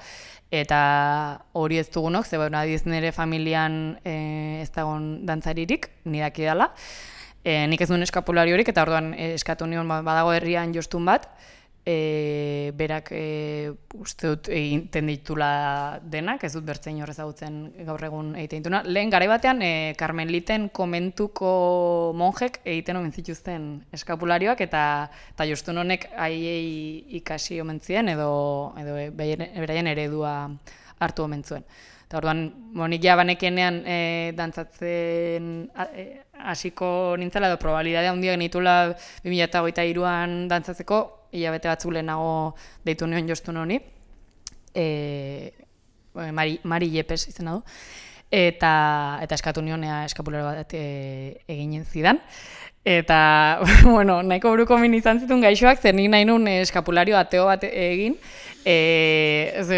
eta hori ez dugunok, ze adiez nire familian ez dagoen dantzaririk, nidaki dela. Nik ez duen eskapulariorik eta orduan eskatu nion badago herrian jostun bat, berak uste dut egiten ditula denak, ez dut bertzein horrez ezagutzen gaur egun egiten dituna. Lehen garai batean Karmeliten komentuko monjek egiten omen zituzten eskapularioak eta jostun honek haiei ikasi omen zien edo beraien eredua hartu omen zuen. Eta orduan, nik ja banekenean dantzatzen hasiko nintzela edo probabilidadea handia genitula 2023an dantzatzeko, hilabete batzuk lehenago deitu nion jostun honi, Mari Yepes izena du, eta eskatu nion eskapularo bat eginen zidan. Eta, nahiko buruko min izan zituen gaixoak, zer nik nahi nuen eskapulario ateo bat egin.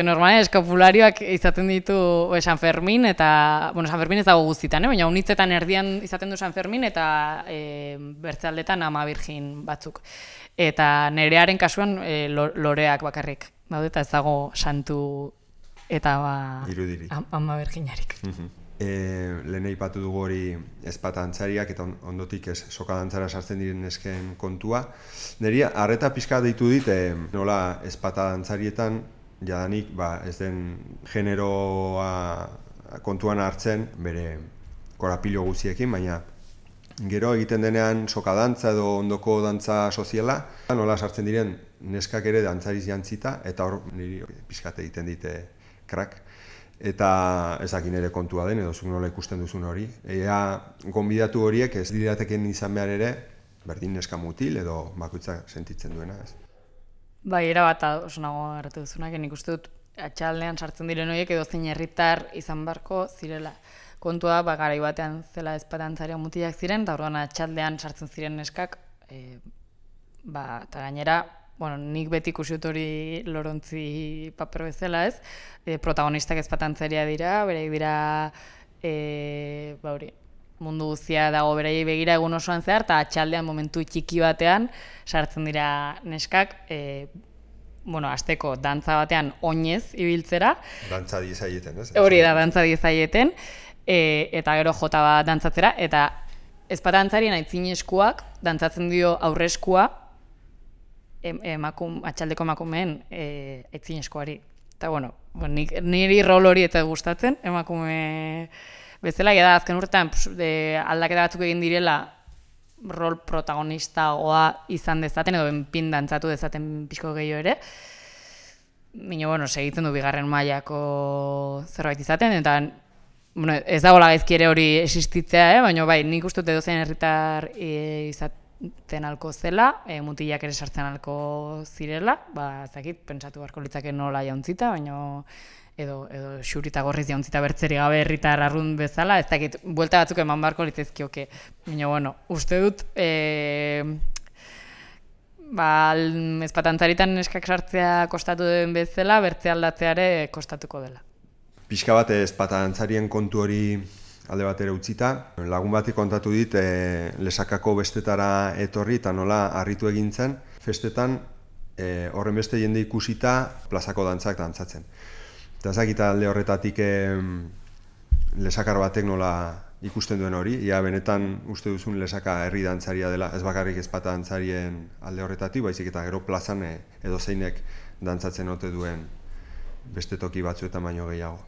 Normalen eskapularioak izaten ditu San Fermin, eta, San Fermin ez dago guztitan, baina unitzetan erdian izaten du San Fermin, eta bertzealdetan Ama Virgin batzuk. Eta nerearen kasuan loreak bakarrik daude, eta ez dago santu eta irudirik. Ama Virginarik. Lehen aipatu dugu hori ezpata dantzariak eta ondotik soka dantzara sartzen diren nesken kontua. Neri arreta pixka deitu dit nola ezpata dantzarietan jadanik ez den generoa kontuan hartzen bere korapilo guztiekin, baina gero egiten denean soka dantza edo ondoko dantza soziala, nola sartzen diren neskak ere dantzariz jantzita eta hor niri pixkate egiten dite krak. Eta ezakin ere kontua den, edo zuk nola ikusten duzun hori. Gonbidatu horiek ez dirateken izan behar ere, berdin neska mutil edo bakoitzak sentitzen duena, ez? Bai, erabat oso nago hartu duzunak, nik uste dut atxaldean sartzen diren horiek edo zein herritar izan barko zirela. Kontua garai batean zela ezpatantzariak mutilak ziren, eta orduan atxaldean sartzen ziren neskak, eta gainera, nik beti ikusi dut hori Lorontzi paper bezala, ez? Protagonistak ezpatantzaria dira, bereik dira mundu guztia dago beraiei begira egun osoan zehar, eta atxaldean momentu txiki batean sartzen dira neskak, hasteko dantza batean oinez ibiltzera. Dantza diezaieten, ez? Hori da, dantza diezaieten, eta gero jota bat dantzatzera, eta ezpatantzarien aitzinezkoak dantzatzen dio aurreskua, atxaldeko emakumeen aitzineskoari. Eta, niri rol hori eta gustatzen, emakume bezala, da azken urtean aldaketa batzuk egin direla rol protagonistagoa izan dezaten, edo benpin dantzatu dezaten pixko gehiago ere. Baina, segitzen du bigarren mailako zerbait izaten, eta ez dago gaizki ere hori existitzea, baina nik uste dut edozein herritar izaten alko zela, mutilak ere sartzen alko zirela, ezakit, pentsatu beharko litzake nola jauntzita, baina edo xurita gorriz jauntzita bertzeri gabe herritar arrunt bezala, ez dakit, buelta batzuk eman beharko litzaizkioke. Baina, uste dut, ezpatantzaritan neskak sartzea kostatu den bezala, bertze aldatzea ere kostatuko dela. Pixka bat ezpatantzarien kontu hori alde batera utzita. Lagun batik kontatu dit Lesakako bestetara etorri eta nola harritu egin zen. Festetan horren beste jende ikusita plazako dantzak dantzatzen. Eta ezakita alde horretatik Lesakar batek nola ikusten duen hori. Ia benetan uste duzun Lesaka herri dantzaria dela, ez bakarrik ezpata dantzarien alde horretatik, baizik eta gero plazan edo zeinek dantzatzen ote duen beste toki batzuetan baino gehiago.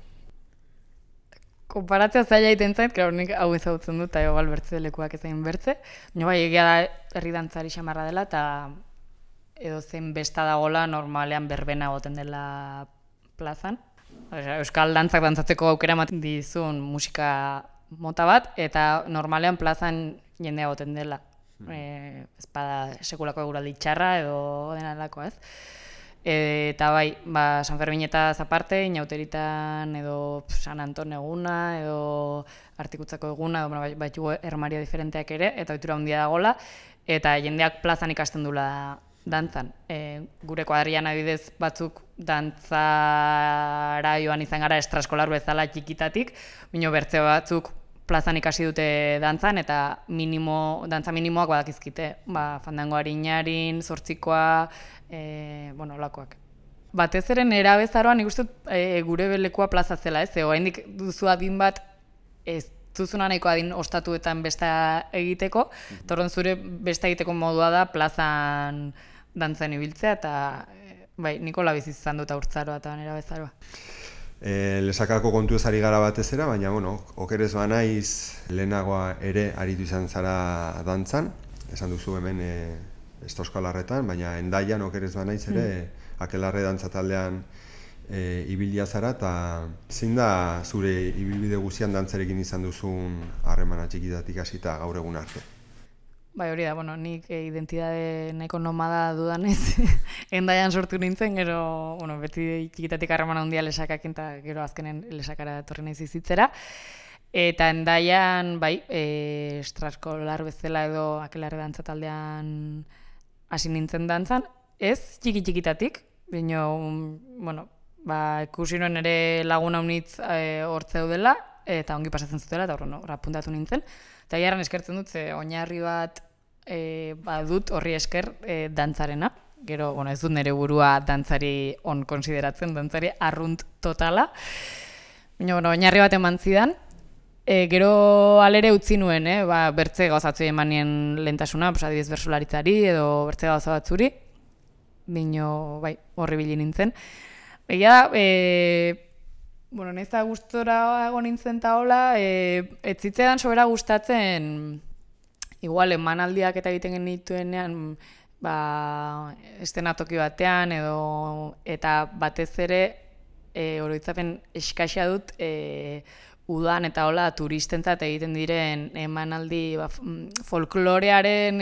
Konparatzea zaila egiten zait, nik hau ezagutzen dut, eta igual bertze lekuak ezain bertze. Baina egia da herri dantzari xamarra dela, eta edo zein besta dagola normalean berbena egoten dela plazan. Euskal dantzak dantzatzeko aukera ematen dizun musika mota bat, eta normalean plazan jende egoten dela. Ez bada sekulako eguraldi txarra edo denalako, ez? Eta bai, San Ferminetaz aparte, inauteritan edo San Anton eguna, edo Artikutzako eguna, edo baitugu ermaria diferenteak ere, eta ohitura handia dagola, eta jendeak plazan ikasten dula dantzan. Gure kuadrian adibidez batzuk dantzara joan izan gara estraskolar bezala txikitatik, baina bertze batzuk plazan ikasi dute dantzan, eta dantza minimoak badakizkite. Fandango harinarin, zortzikoa, olakoak. Batez ere nera bezaroan nik uste gure belekua plaza zela, ez? Oraindik duzu adin bat ez duzuna nahiko adin ostatuetan besta egiteko, torren zure besta egiteko modua da plazan dantzan ibiltzea, eta Nikola bizi izan dut haurtzaroa eta nera bezaroa. Lesakako kontu ez ari gara batez era, baina, okerez banaiz lehenagoa ere aritu izan zara dantzan, esan duzu hemen Euskalarretan, baina Hendaian okerez banaiz ere Akelarre dantza taldean ibilia zara, eta zein da zure ibilbide guztian dantzarekin izan duzun harremana txikitatik hasita gaur egun arte? Hori da, nik identitate nahiko nomada dudanez, Hendaian sortu nintzen, gero, beti txikitatik harremana handia lesakakin, eta gero azkenen lesakara etorri naiz bizitzera. Eta Hendaian, estraskolar bezala edo Akelarre dantza taldean hasi nintzen dantzan, ez txikitatik, baina, ikusi nuen ere laguna unitz hortzeu dela, eta ongi pasatzen zutela, eta horra puntatu nintzen. Eta jarran eskertzen dut, oinarri bat badut horri esker dantzarena. Gero, ez dut nire burua dantzari on konsideratzen, dantzari arrunt totala. Baina, oinarri bat eman zidan. Gero alere utzi nuen, bertze gauzatzu eman nien lehentasuna, adibidez bertsolaritzari edo bertze gauza batzuri. Baina, horri bili nintzen. Egia da, nahiz eta gustora egon nintzen eta hola, ez zitzean sobera gustatzen, igual emanaldiak eta egiten genituenean, estenatoki batean eta batez ere oroitzapen eskaxa dut udan eta hola turistentzat egiten diren emanaldi folklorearen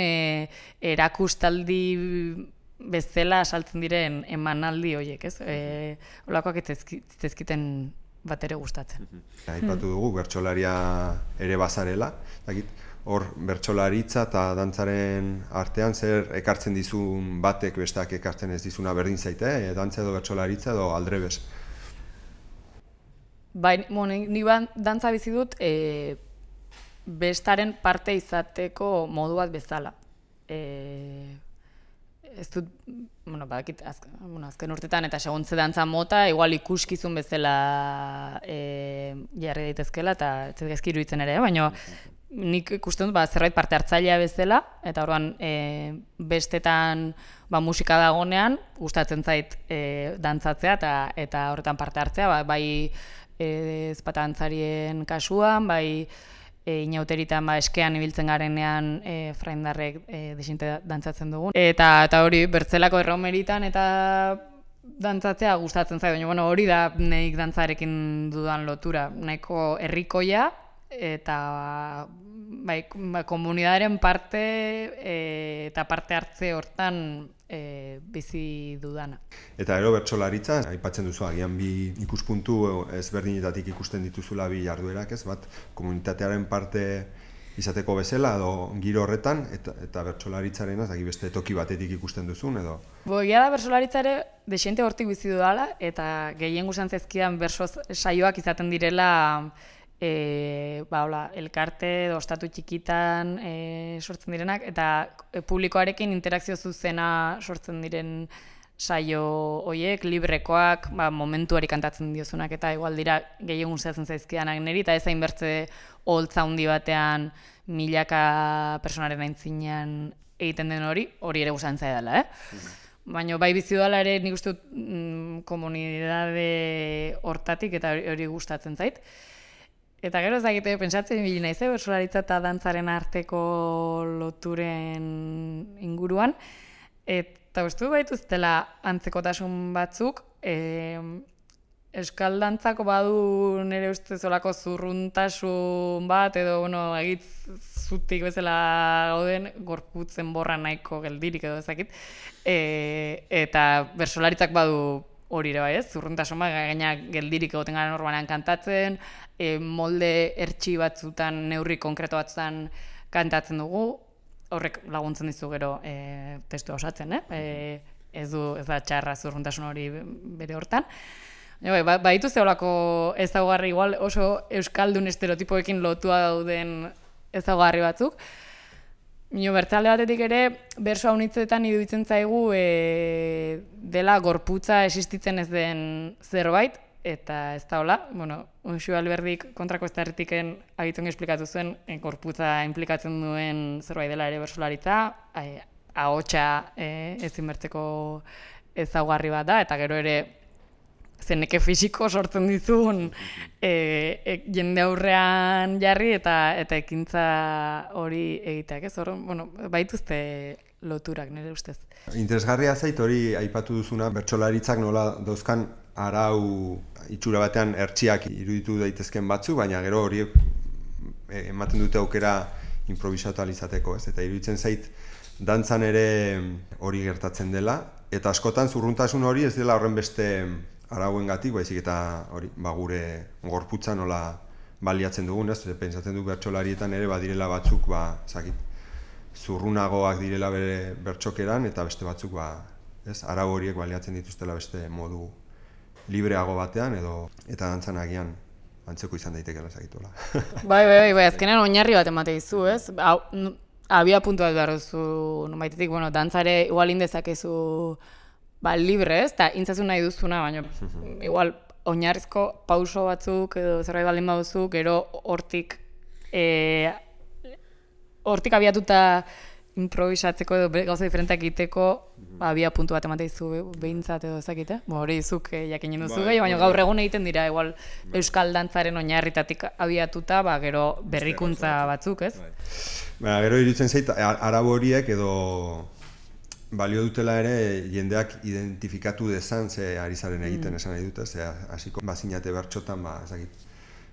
erakustaldi bezala saltzen diren emanaldi horiek, ez? Olakoak ez zezkiten bat ere gustatzen. Aipatu dugu, bertsolaria ere bazarela. Hor, bertsolaritza eta dantzaren artean zer ekartzen dizun batek besteak ekartzen ez dizuna berdin zaite, dantza edo bertsolaritza edo aldrebes? Ni dantza bizi dut bestaren parte izateko modu bat bezala. Ez dut, badakit, azken urtetan eta seguntze dantza mota, igual ikuskizun bezala jarri daitezkela eta ez gaizki iruditzen ere, baina nik ikusten dut zerbait parte hartzailea bezala, eta orduan bestetan musika dagonean, gustatzen zait dantzatzea eta horretan parte hartzea, bai ezpata dantzarien kasuan, bai inauteritan eskean ibiltzen garenean fraindarrek desinte dantzatzen dugun. Eta hori bertzelako erromeritan eta dantzatzea gustatzen zait, baina hori da nik dantzarekin dudan lotura. Nahiko herrikoia eta komunidadaren parte eta parte hartze hortan bizi dudana. Eta gero bertsolaritza, aipatzen duzu, agian bi ikuspuntu ezberdinetatik ikusten dituzula bi jarduerak, ez? Bat, komunitatearen parte izateko bezala edo giro horretan, eta bertsolaritzaren beste toki batetik ikusten duzun, edo? Egia da bertsolaritzare desente hortik bizi dudala, eta gehien guzan zezkidan berso saioak izaten direla elkarte edo ostatu txikitan sortzen direnak, eta publikoarekin interakzio zuzena sortzen diren saio horiek, librekoak, momentuari kantatzen diozunak, eta igual dira gehien gustatzen zaizkidanak niri, eta ez hainbertze oholtza handi batean milaka personaren aintzinean egiten den hori ere gustatzen zaidala, Baina bai bizi dudala ere nik uste dut komunidade hortatik eta hori gustatzen zait. Eta gero ez dakite, pentsatzen ibili naiz, bertsolaritza eta dantzaren arteko loturen inguruan. eta uste baituztela antzekotasun batzuk, euskal dantzako badu nire ustez olako zurruntasun bat, edo, egit zutik bezala gauden, gorputzen borra nahiko geldirik edo ezakit, eta bersolaritzak badu hori ere bai, ez? Zurruntasun bat, gaina geldirik egoten gara normalean kantatzen, molde ertsi batzutan, neurri konkreto batzutan kantatzen dugu, horrek laguntzen dizu gero testua osatzen, ez da txarra zurruntasun hori bere hortan. Baitu zeolako ezaugarri igual oso euskaldun estereotipoekin lotua dauden ezaugarri batzuk. Bertzalde batetik ere, berso haunitzetan iruditzen zaigu dela gorputza existitzen ez den zerbait, eta ez da hola. Unxu Alberdik kontrako ez da erretiken agitzen esplikatu zuen, gorputza implikatzen duen zerbait dela ere bersolaritza, ahotsa ezin bertzeko ezaugarri bat da, eta gero ere zeneke fisiko sortzen dizun jende aurrean jarri eta ekintza hori egiteak, ez? Baituzte loturak nire ustez. Interesgarria zait hori aipatu duzuna, bertsolaritzak nola dauzkan arau itxura batean ertziak iruditu daitezken batzu, baina gero hori ematen dute aukera improvisatu ahal izateko, ez? Eta iruditzen zait dantzan ere hori gertatzen dela, eta askotan zurruntasun hori ez dela horren beste arauengatik, baizik eta hori, gure gorputza nola baliatzen dugun, ez? Pentsatzen du bertsolarietan ere badirela batzuk, zurrunagoak direla bere bertsokeran, eta beste batzuk, arau horiek baliatzen dituztela beste modu libreago batean, eta dantzan agian antzeko izan daitekeela zakituela. Bai, azkenean oinarri bat emate dizu, ez? Abia puntu bat behar duzu, baitetik, dantzare igual indezakezu libre, ez? Eta intzazu nahi duzuna, baina igual oinarrizko pauso batzuk edo zerbait baldin baduzu, gero hortik abiatuta improvisatzeko edo gauza diferenteak egiteko abia puntu bat emate dizu behintzat edo ezakite. Hori zuk jakinen duzu gehi, baina gaur egun egiten dira igual euskal dantzaren oinarritatik abiatuta, gero berrikuntza batzuk, ez? Gero iruditzen zait, arau horiek edo balio dutela ere jendeak identifikatu dezan ze ari zaren egiten esan nahi dute, ze hasiko bazinate bertxotan,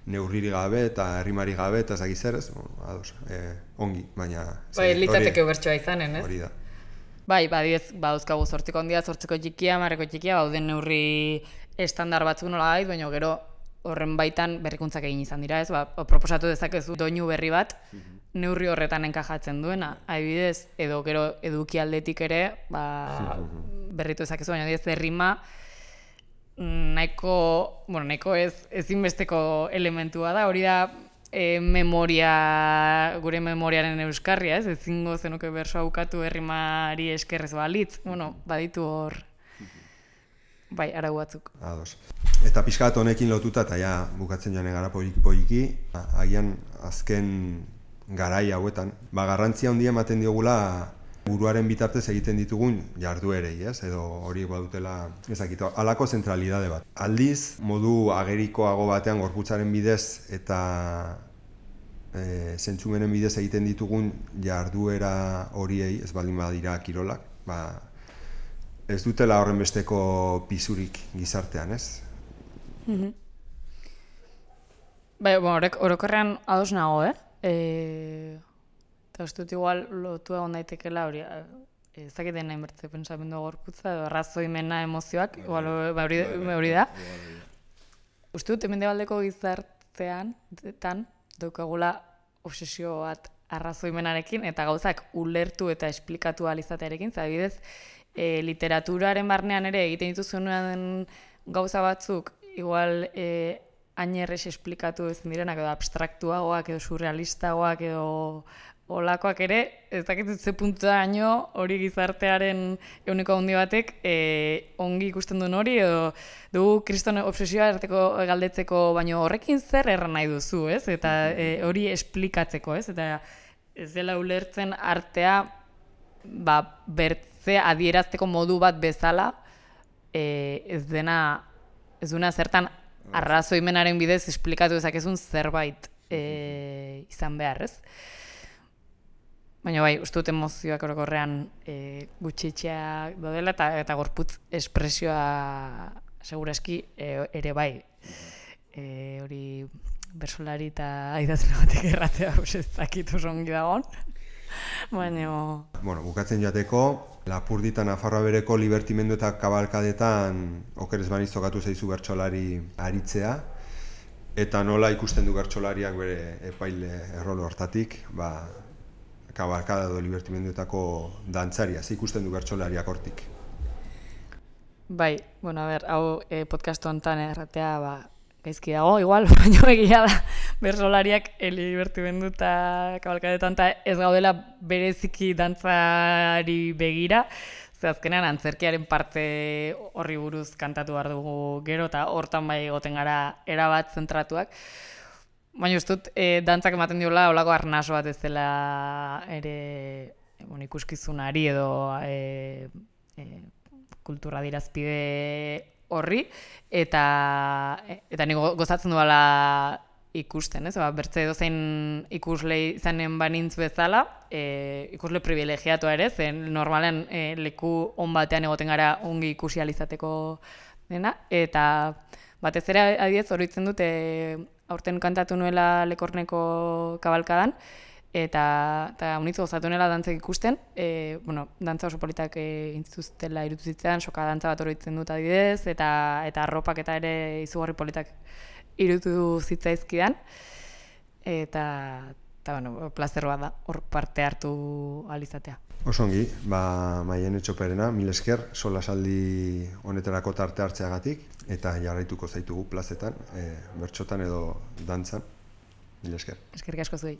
neurriri gabe eta errimari gabe eta ezagik zer ez, ongi, baina... Litzateke bertsoa izanen, ez? Hori da. Badauzkagu 8 handia, 8 txikia, 10 txikia, bauden neurri estandar batzuk nola gait, baina gero horren baitan berrikuntzak egin izan dira, ez? Proposatu dezakezu doinu berri bat, neurri horretan enkajatzen duena, adibidez, edo gero eduki aldetik ere, berritu dezakezu, baina ez errima nahiko ezinbesteko elementua da, hori da gure memoriaren euskarria, ez? Ezingo zenuke bersoa bukatu errimari eskerrez balitz, baditu hor, arau batzuk. Ados. Eta pixka bat honekin lotuta, eta ja bukatzen joan gara poliki, agian azken garai hauetan, garrantzia handia ematen diogula buruaren bitartez egiten ditugun jarduerei, ez? Edo hori badutela ezakito, halako zentralidade bat. Aldiz, modu agerikoago batean gorputzaren bidez eta zentzumenen bidez egiten ditugun jarduera horiei, ez baldin badira kirolak, ez dutela horren besteko pisurik gizartean, ez? Orokorrean ados nago, eta uste dut igual lotu egon daitekela hori, ezakiten nahi bertze pentsamendu gorputza edo arrazoimena emozioak, hori da. Uste dut mendebaldeko gizartean daukagula obsesio bat arrazoimenarekin eta gauzak ulertu eta esplikatu ahal izatearekin, adibidez, literaturaren barnean ere egiten dituzunean gauza batzuk, igual hain errez esplikatu ezin direnak, edo abstraktuagoak, edo surrealistagoak, edo olakoak ere, ez dakit ze punturaino hori gizartearen ehuneko handi batek ongi ikusten duen hori, edo dugu kriston obsesioa erteko galdetzeko, baino horrekin zer erran nahi duzu, ez? Eta hori esplikatzeko, ez? Eta ez dela ulertzen artea bertze adierazteko modu bat bezala, ez duena zertan arrazoimenaren bidez esplikatu dezakezun zerbait izan behar, ez? Baina bai, uste dut emozioak orokorrean gutxitxeak daudela eta gorputz espresioa segurazki ere bai. Hori bersolari eta idazle batek erratea ez dakit oso ongi dagoen. Baina... Bueno, bukatzen joateko, Lapurdi eta Nafarroa Bereko libertimendu eta kabalkadetan okerez baniz tokatu zaizu bertsolari aritzea, eta nola ikusten du bertsolariak bere epaile errolo hortatik, kabalkada edo libertimenduetako dantzaria, ze ikusten du bertsolariak hortik? Bai, bueno, hau podcast honetan erratea, gaizki dago, igual, baina egia da, bersolariak libertimendu eta kabalkadetan ez gaudela bereziki dantzari begira, ze azkenean antzerkiaren parte horri buruz kantatu behar dugu gero, eta hortan bai egoten gara erabat zentratuak. Baina ez dut, dantzak ematen diola olako arnaso bat ez dela ere ikuskizunari edo kultura dirazpide horri, eta nik gozatzen duela ikusten, ez? Bertze edozein ikusle izanen banintz bezala, ikusle privilegiatua ere, zen normalen leku on batean egoten gara ongi ikusi alizateko dena, eta batez ere adibidez oroitzen dut aurten kantatu nuela Lekorneko kabalkadan, eta unitz gozatu nuela dantzak ikusten, dantza oso politak intzituztela irutuzitzean, soka dantza bat oroitzen dut adibidez, eta arropak eta ere izugarri politak irutu zitzaizkidan, eta plazer bat da, hor parte hartu alizatea. Osongi, Maien Etxoperena, mil esker, solasaldi honetarako tarte hartzeagatik, eta jarraituko zaitugu plazetan, bertsotan edo dantzan, mil esker. Eskerrik asko zuei.